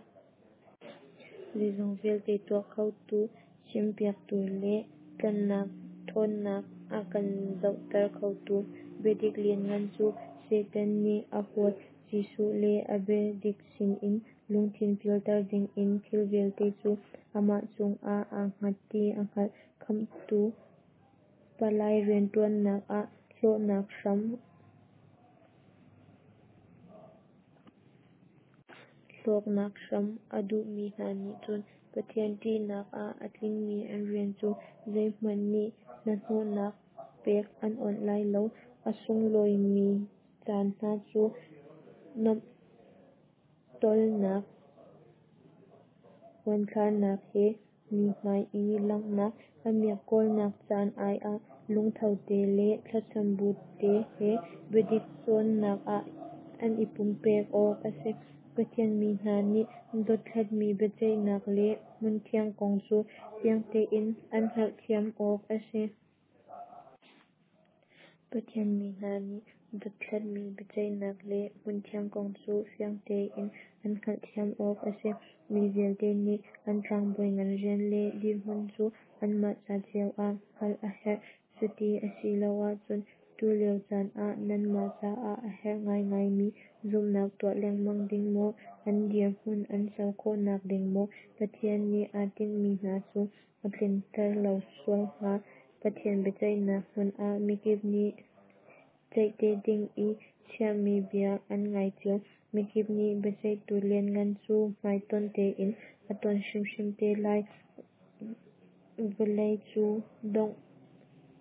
Zeizong vialte tuah khotu, chimpiaktu le tlanhnak ṭhawnnak a kan zohter khotu biadik lianngan cu Satan nih a huat. Jesuh le a biadik sinin lungthin pialter dingin thil vialte cu amah cungah aa hngat ti a hngalh. Khamhtu palai rianṭuannak ah hlawknak hram Hlawknak hram a duhmi hna nih cun Pathian ṭihnak ah a tlingmi an rian cu zeihmanh nih hnahnawhnak pek an awnh lai lo. A sunglawimi caan hna cu nuamhtawlnak, uanthlarnak he mi hmai i langhnak, a miak kawlnak caan ai ah lungtho te le thlacam bu te he biadik cawnnak ah an i pumpek awk a si. Pathian mi hna nih dothlatmi biaceihnak le hmunthiang kong cu fiang tein an hngalhthiam awk a si. Pathian mi hna nih dothlatmi biaceihnak le hmunthiang kong cu fiang tein an hngalhthiam awk a si. Mi vialte nih an tlangbawi ngan rian le dirhmun cu anmah ca cio ah hngalh a herh. Cuti a si lo ahcun tulio caan ah nanmah caah a herh ngaingaimi zumhnak tuah lengmang ding maw, an dirhmun an co khawhnak ding maw, Pathian nih aa tinhmi hna cu a tlinter lo sual hnga. Pathian biaceihnak hmun ah mikip nih Ceih te ding i chiahmi bia an ngai cio. Mikip nih Biaceihtu Lianngan cu hmaitonh tein a ton hrimhrim te lai.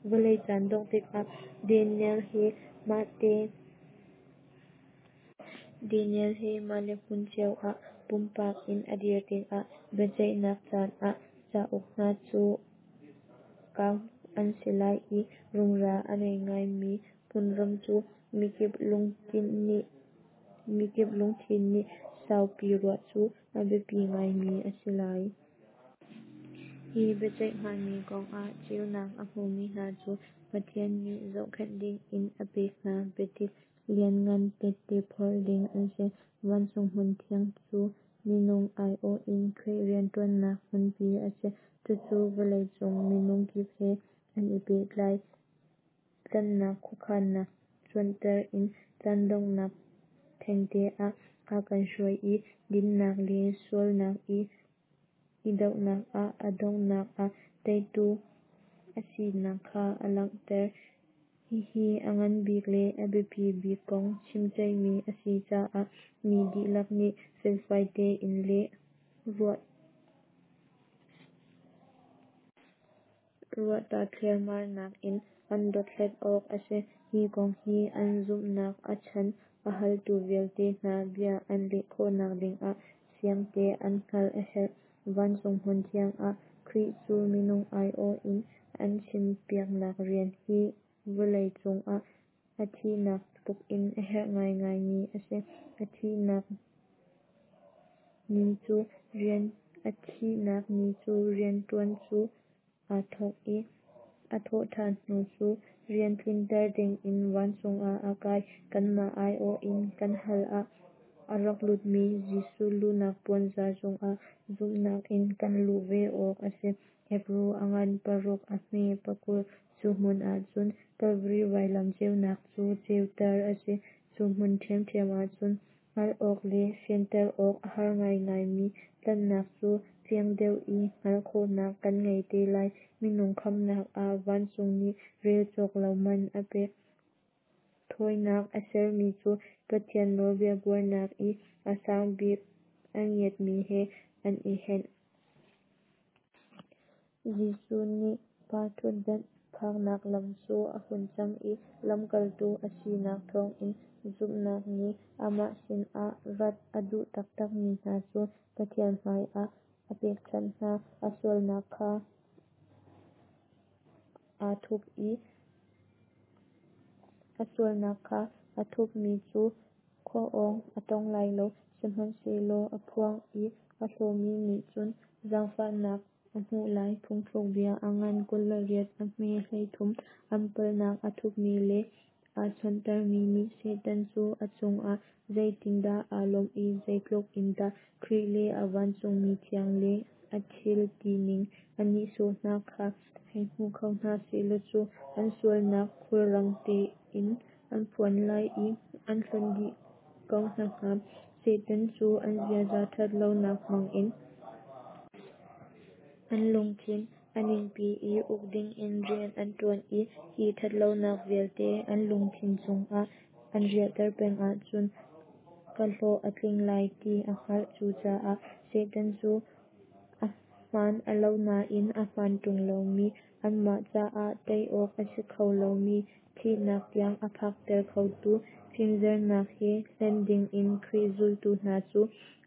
Vawlei caan dongh tikah Daniel he mah le hmun cio ah pumpak in a dir tikah biaceihnak caan ah cauk hna cu kau an si lai i rumra a ngei ngaimi hmunram cu mikip lungthin nih saupi ruah cu a biapi ngaimi a si lai. Hi biaceih hngami kong ah ceunak a hmumi hna cu Pathian nih zohkhenh dingin a pek hna biadik lianngan tehte phor ding an si. Vancung hmunthiang cu minung aiawh in Khrih rianṭuannak hmunpi a si. Cucu vawlei cung minung kip he an i pehtlai. Tlanhnak khuakhannak cuanter in caan donghnak thengte ah a kan hruai i dinnak le sualnak i dohnak ah a donghnak ah teitu a sinak kha a langhter. Hihi a nganbik le a biapi bik kong chimceihmi a si caah mi dihlak nih felfai tein le ruahta thliarmarnak in an dothlat awk a si. Hi kong hi an zumhnak a chan a haltu vialte hna bia an leh khawhnak dingah fiangte an hngalh a herh. Vancung hmunthiang ah Khrih cu minung aiawh in a chimpiaknak rian hi vawlei cungah a thihnak tlukin a herh ngaingaimi a si. A thihnak ni cu rianṭuan cu aa thawk i a thawhṭhan hnu cu rian tlinter dingin vancung ah a kai. Kanmah aiawh in kan hal ah a rak lutmi Jesuh luhnak puanzar chungah zumhnak in kan luh ve awk a si. Hebru a ngan paruk a hme pakul. Cu hmun ahcun Kalvari vailam ceunak cu ceuter a si. Cu hmun ṭhiamṭhiam ahcun hngalh awk le fianter awk a har ngaingaimi tlanhnak cu fiang deuh i hngalh khawhnak kan ngei te lai. Minung khamhnak ah vancung nih rel cawk lo man a pek. Thawinak a sermi cu Pathian nawlbia buarnak i a sang bik a ngiatmi he an i henh. Jesuh nih Pa ṭhutdan phaknak lam cu a hun cang i lamkaltu a sinak thawngin zumhnak nih amah sinah rat a duh taktakmi hna cu Pathian hmaiah a pekchanh hna. A sualnak kha aa thup i a sualnak kha aa thupmi cu khua-awng a tong lai lo, sihmanhsehlaw a phuang i a hlawmi nih cun zaangfahnak a hmuh lai. Phungthlukbia a ngan kul le riat a hme hleithum. An palhnak a thupmi le aa sonhtarhmi nih Satan cu a cungah zeitindah aa lawmh i zeitluk in dah Khrih le a vancungmi thiang le a thil tining a nihsawh hna kha hei hmu kho hna sehlaw cu an sualnak khulrang tein an phuan lai i an hlonh dih ko hna hnga. Satan cu an ziaza ṭhat lonak hmangin an lungthin a ningpi i uk dingin rian a ṭuan i hi ṭhat lonak vialte an lungthin chungah an riahter peng ahcun ka hlawh a tling lai ti a hngalh. Cucaah Satan cu ahmaan a lo nain a hmaan ṭung lomi, anmah caah tei awk a si kho lomi, thihnak tiang a phakter khotu fimzernak he hlen dingin Khrih zultu hna cu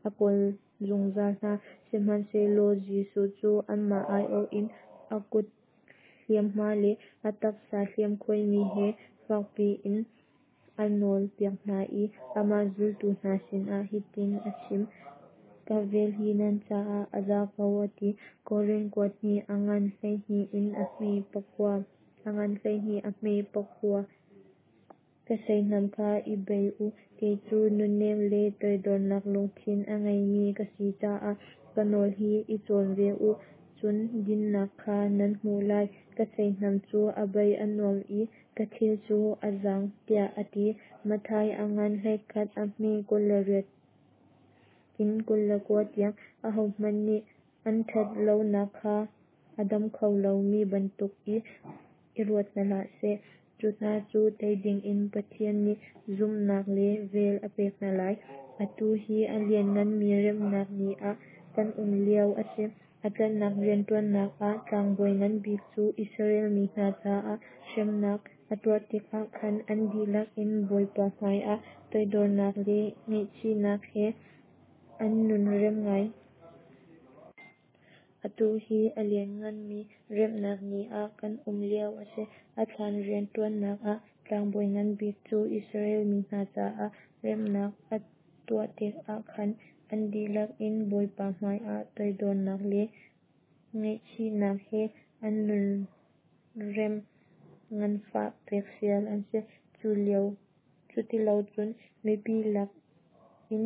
a kawl zungzal hna. Sihmanhsehlaw Jesuh cu anmah aiawh in a kut hliamhma le a taksa hliamkhuaimi he fakpi in a nawlpiak hna i amah zultu hna sinah hitin a chim: Ka vel hi nan caah a za ko, a ti. Korin kuat hnih a ngan hleihnih in a hme pakua. A ngan hleihnih a hme pakua. Ka seihnam kha i bei u, kei cu nunnem le toidornak lungthin a ngeimi ka si caah ka nawl hi i cawn ve u, cun dinhnak kha nan hmuh lai. Ka seihnam cu a bei a nuam i ka thil cu a zaang, tiah a ti. Matthai a ngan hleikhat a hme kul le riat in kul le kua tiang. Ahohmanh nih an ṭhat lonak kha a dam kho lomi bantuk i i ruat hna hlah seh. Cu hna cu tei dingin Pathian nih zumhnak le vel a pek hna lai. Atu hi a liannganmi remnak ni ah kan um lio a si. A tlanhnak rianṭuannak ah Tlangbawi Ngan bik cu Israel mi hna caah hremnak a tuar tikah khan an dihlak in Bawipa hmaiah toidornak le ngaihchihnak he an nun rem ngai. Atu hi a liannganmi remnak ni ah kan um lio a si. A thlan rianṭuannak ah Tlangbawi Ngan bik cu Israel mi hna caah remnak a tuah tikah khan an dihlak in Bawipa hmaiah toidornak le ngaihchihnak he an nun remh nganfah pek fial an si. Cutilocun mipi lak in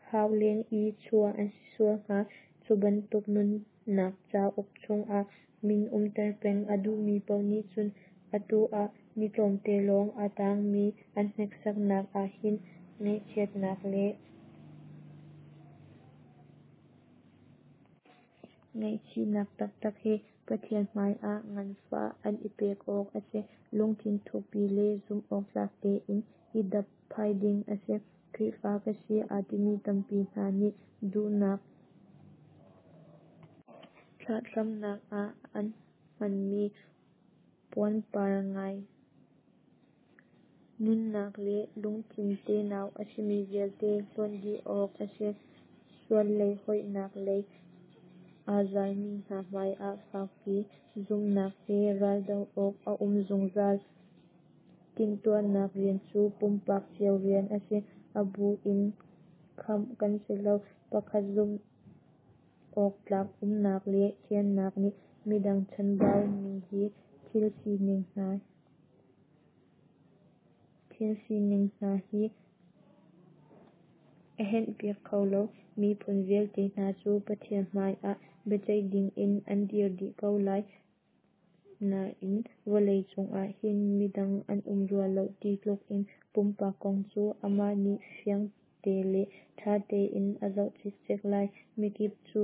hau len i chuah an si sual hnga. Cu bantuk nunnak cauk chungah min umter peng a duhmi paoh nih cun atu ah ni tlawmte lawng a tangmi an hneksaknak ah hin ngaihchiatnak le ngaihchihnak taktak he Pathian hmaiah nganfah an i pek awk a si. Lungthin thukpi le zumh awktlak tein i dapphai ding a si. Khrihfa ka si aa timi tampi hna nih duhnak thlahthlamnak ah an hmanmi puanpar ngai nunnak le lungthin tenau a simi vialte hlawnh dih awk a si. Sual lei hoihnak lei aa zalmi hna hmaiah fakpi zumhnak he raldoh awk a um zungzal. Timhtuahnak rian cu pumpak cio rian a si. A bu in khamh kan si lo. Pakhat zumh awktlak umnak le thiannak nih midang chanbau mi hi thil sining hna thil sining hna hi a henhpiak kho lo. Miphun vialte hna cu Pathian hmaiah biaceih dingin an dir dih ko lai. Nain vawlei cungah hin midang an um rua lo ti tluk in pumpak kong cu amah nih fiangte le ṭha tein a zoh cikcek lai. Mikip cu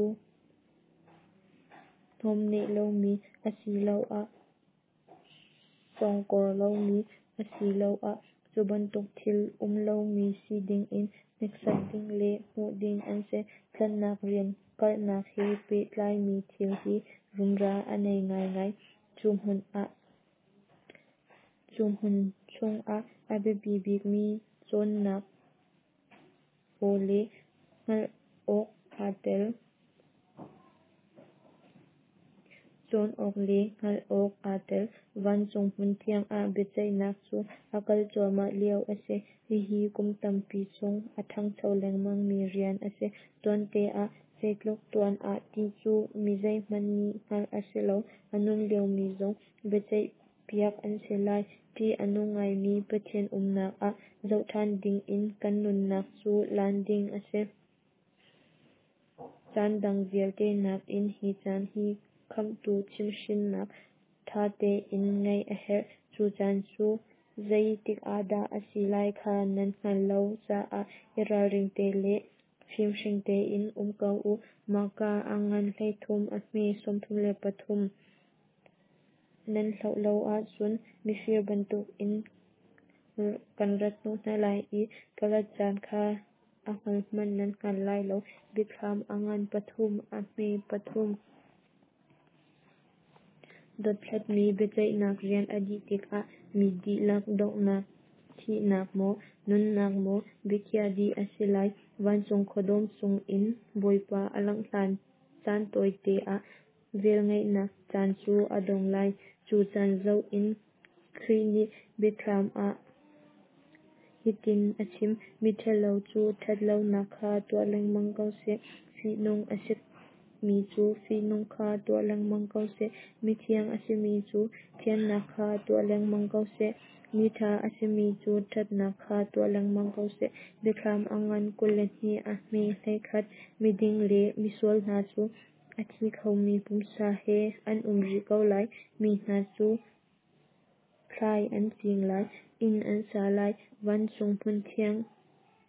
hnawmneh lomi asiloah sawngkawr lomi asiloah cu bantuk thil um lomi si dingin hneksak ding le hmuh ding an si. Tlanhnak rian karhnak he pehtlaimi thil hi rumra a nei ngaingai. Cu hmun ah cu hmun chungah a biapi bikmi cawnnak aw le hngalh awk aa tel. Cawn awk le hngalh awk aa tel. Vancung hmunthiang ah biaceihnak cu a kal cuahmah lio a si. Hihi kum tampi chung a ṭhangcho lengmangmi rian a si. Tuante ah, zeitluk tuan ah ti cu mi zeihmanh nih hngalh a si lo. A nung liomi zong biaceihpiak an si lai. Ṭih a nung ngaimi Pathian umnak ah zohṭhan dingin kan nunnak cu lan ding a si. Caan dang vialte nakin hi caan hi Khamhtu chimhhrinnak ṭha tein ngaih a herh. Cu caan cu zei tikah dah a si lai kha nan hngalh lo caah i ralring te le fimhring tein um ko u. Marka a ngan hleithum a hme sawmthum le pathum. Nan hlau lo ahcun mifir bantukin kan rat hnawh hna lai i ka rat caan kha a hngal hmanh nan hngal lai lo. Biathlam a ngan pathum a hme pathum. Dothlatmi biaceihnak rian a dih tikah mi dihlak donghnak thihnak maw, nunnak maw biakhiah dih a si lai. Vancung khuadawm cungin Bawipa a langh hlan caan tawite ah velngeihnak caan cu a dong lai. Cu caan zoh in Khrih nih Biathlam ah hitin a chim: Miṭhalo cu ṭhatlonak kha tuah lengmang ko seh, fihnung a simi cu fihnung kha tuah lengmang ko seh, mithiang a simi cu thiannak kha tuah lengmang ko seh, miṭha a simi cu ṭhatnak kha tuah lengmang ko seh. Biathlam a ngan kul le hnih a hme hleikhat. Miding le misual hna cu a thi khomi pumsa he an um rih ko lai. Mi hna cu thlai an cing lai, inn an sa lai, vancung hmunthiang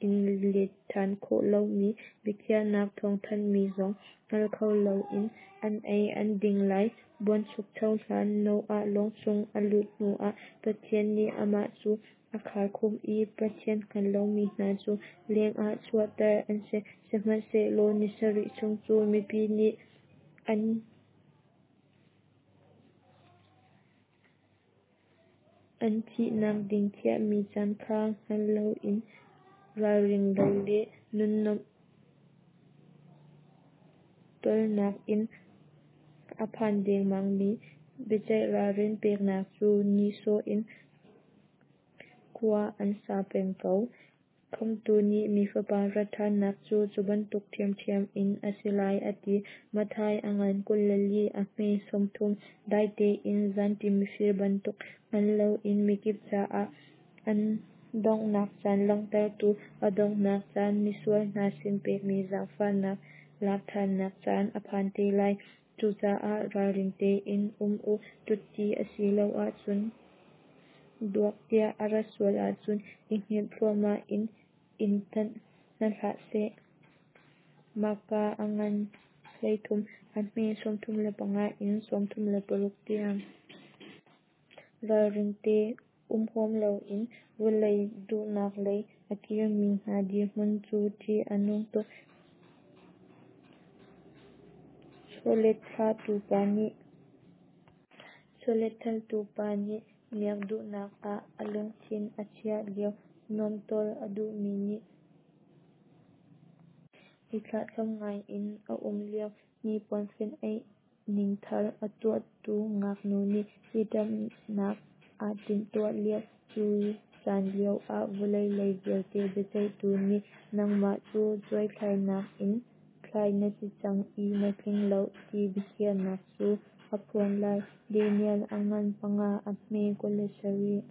in let ṭhan khawh lomi biakhiahnak thawngthanhmi zong hngal kho loin an ei an ding lai. Buanchukcho hlan, Noah lawng chung a luh hnuah Pathian nih amah cu a kharkhumh i Pathian hngal lomi hna cu lengah chuahter an si. Sihmanhsehlaw ni sarih chung cu mipi nih an an thihnak ding khiahmi caan kha hngal loin ralring lo le nunnuamh tawlnak in a phan dengmangmi biaceih ralrin peknak cu nihsawh in khua an sa peng ko. Khamhtu nih Mi Fapa rat ṭhannak cu cu bantuk ṭhiamṭhiam in a si lai a ti. Matthai a ngan kul le li a hme sawmthum. Dai tein zanṭim mifir bantuk hngal loin mikip caah an donghnak caan langhtertu a donghnak caan misual hna sin pekmi zaangfahnak lak ṭhannak caan a phan te lai. Cucaah ralring tein um u, ṭutti asiloah chun duak tiah a rat sual ahcun i hngilh thluahmah in in tanh hna hlah seh. Marka a ngan hleithum a hme sawmthum le panga in sawmthum le paruk tiang. Ralring te um huam loin vawlei duhnak lei a kirmi hna dirhmun cu ṭih a nung tuk. Chawletthaltu pa nih Chawletthaltu pa nih miak duhnak ah a lungthin a chiah lio, nuamhtawl a duhmi nih i thlahthlam ngai in a um lio, hnipuan fenh-aih ning thar a tuahtu ngaknu nih hitumhnak aa timhtuah lio, cu caan lio ah vawlei lei vialte biaceihtu nih nangmah cu cuaithlainak in thlai na si cang i na tling lo ti biakhiahnak cu a phuan lai. Daniel a ngan panga a hme kul le sarih.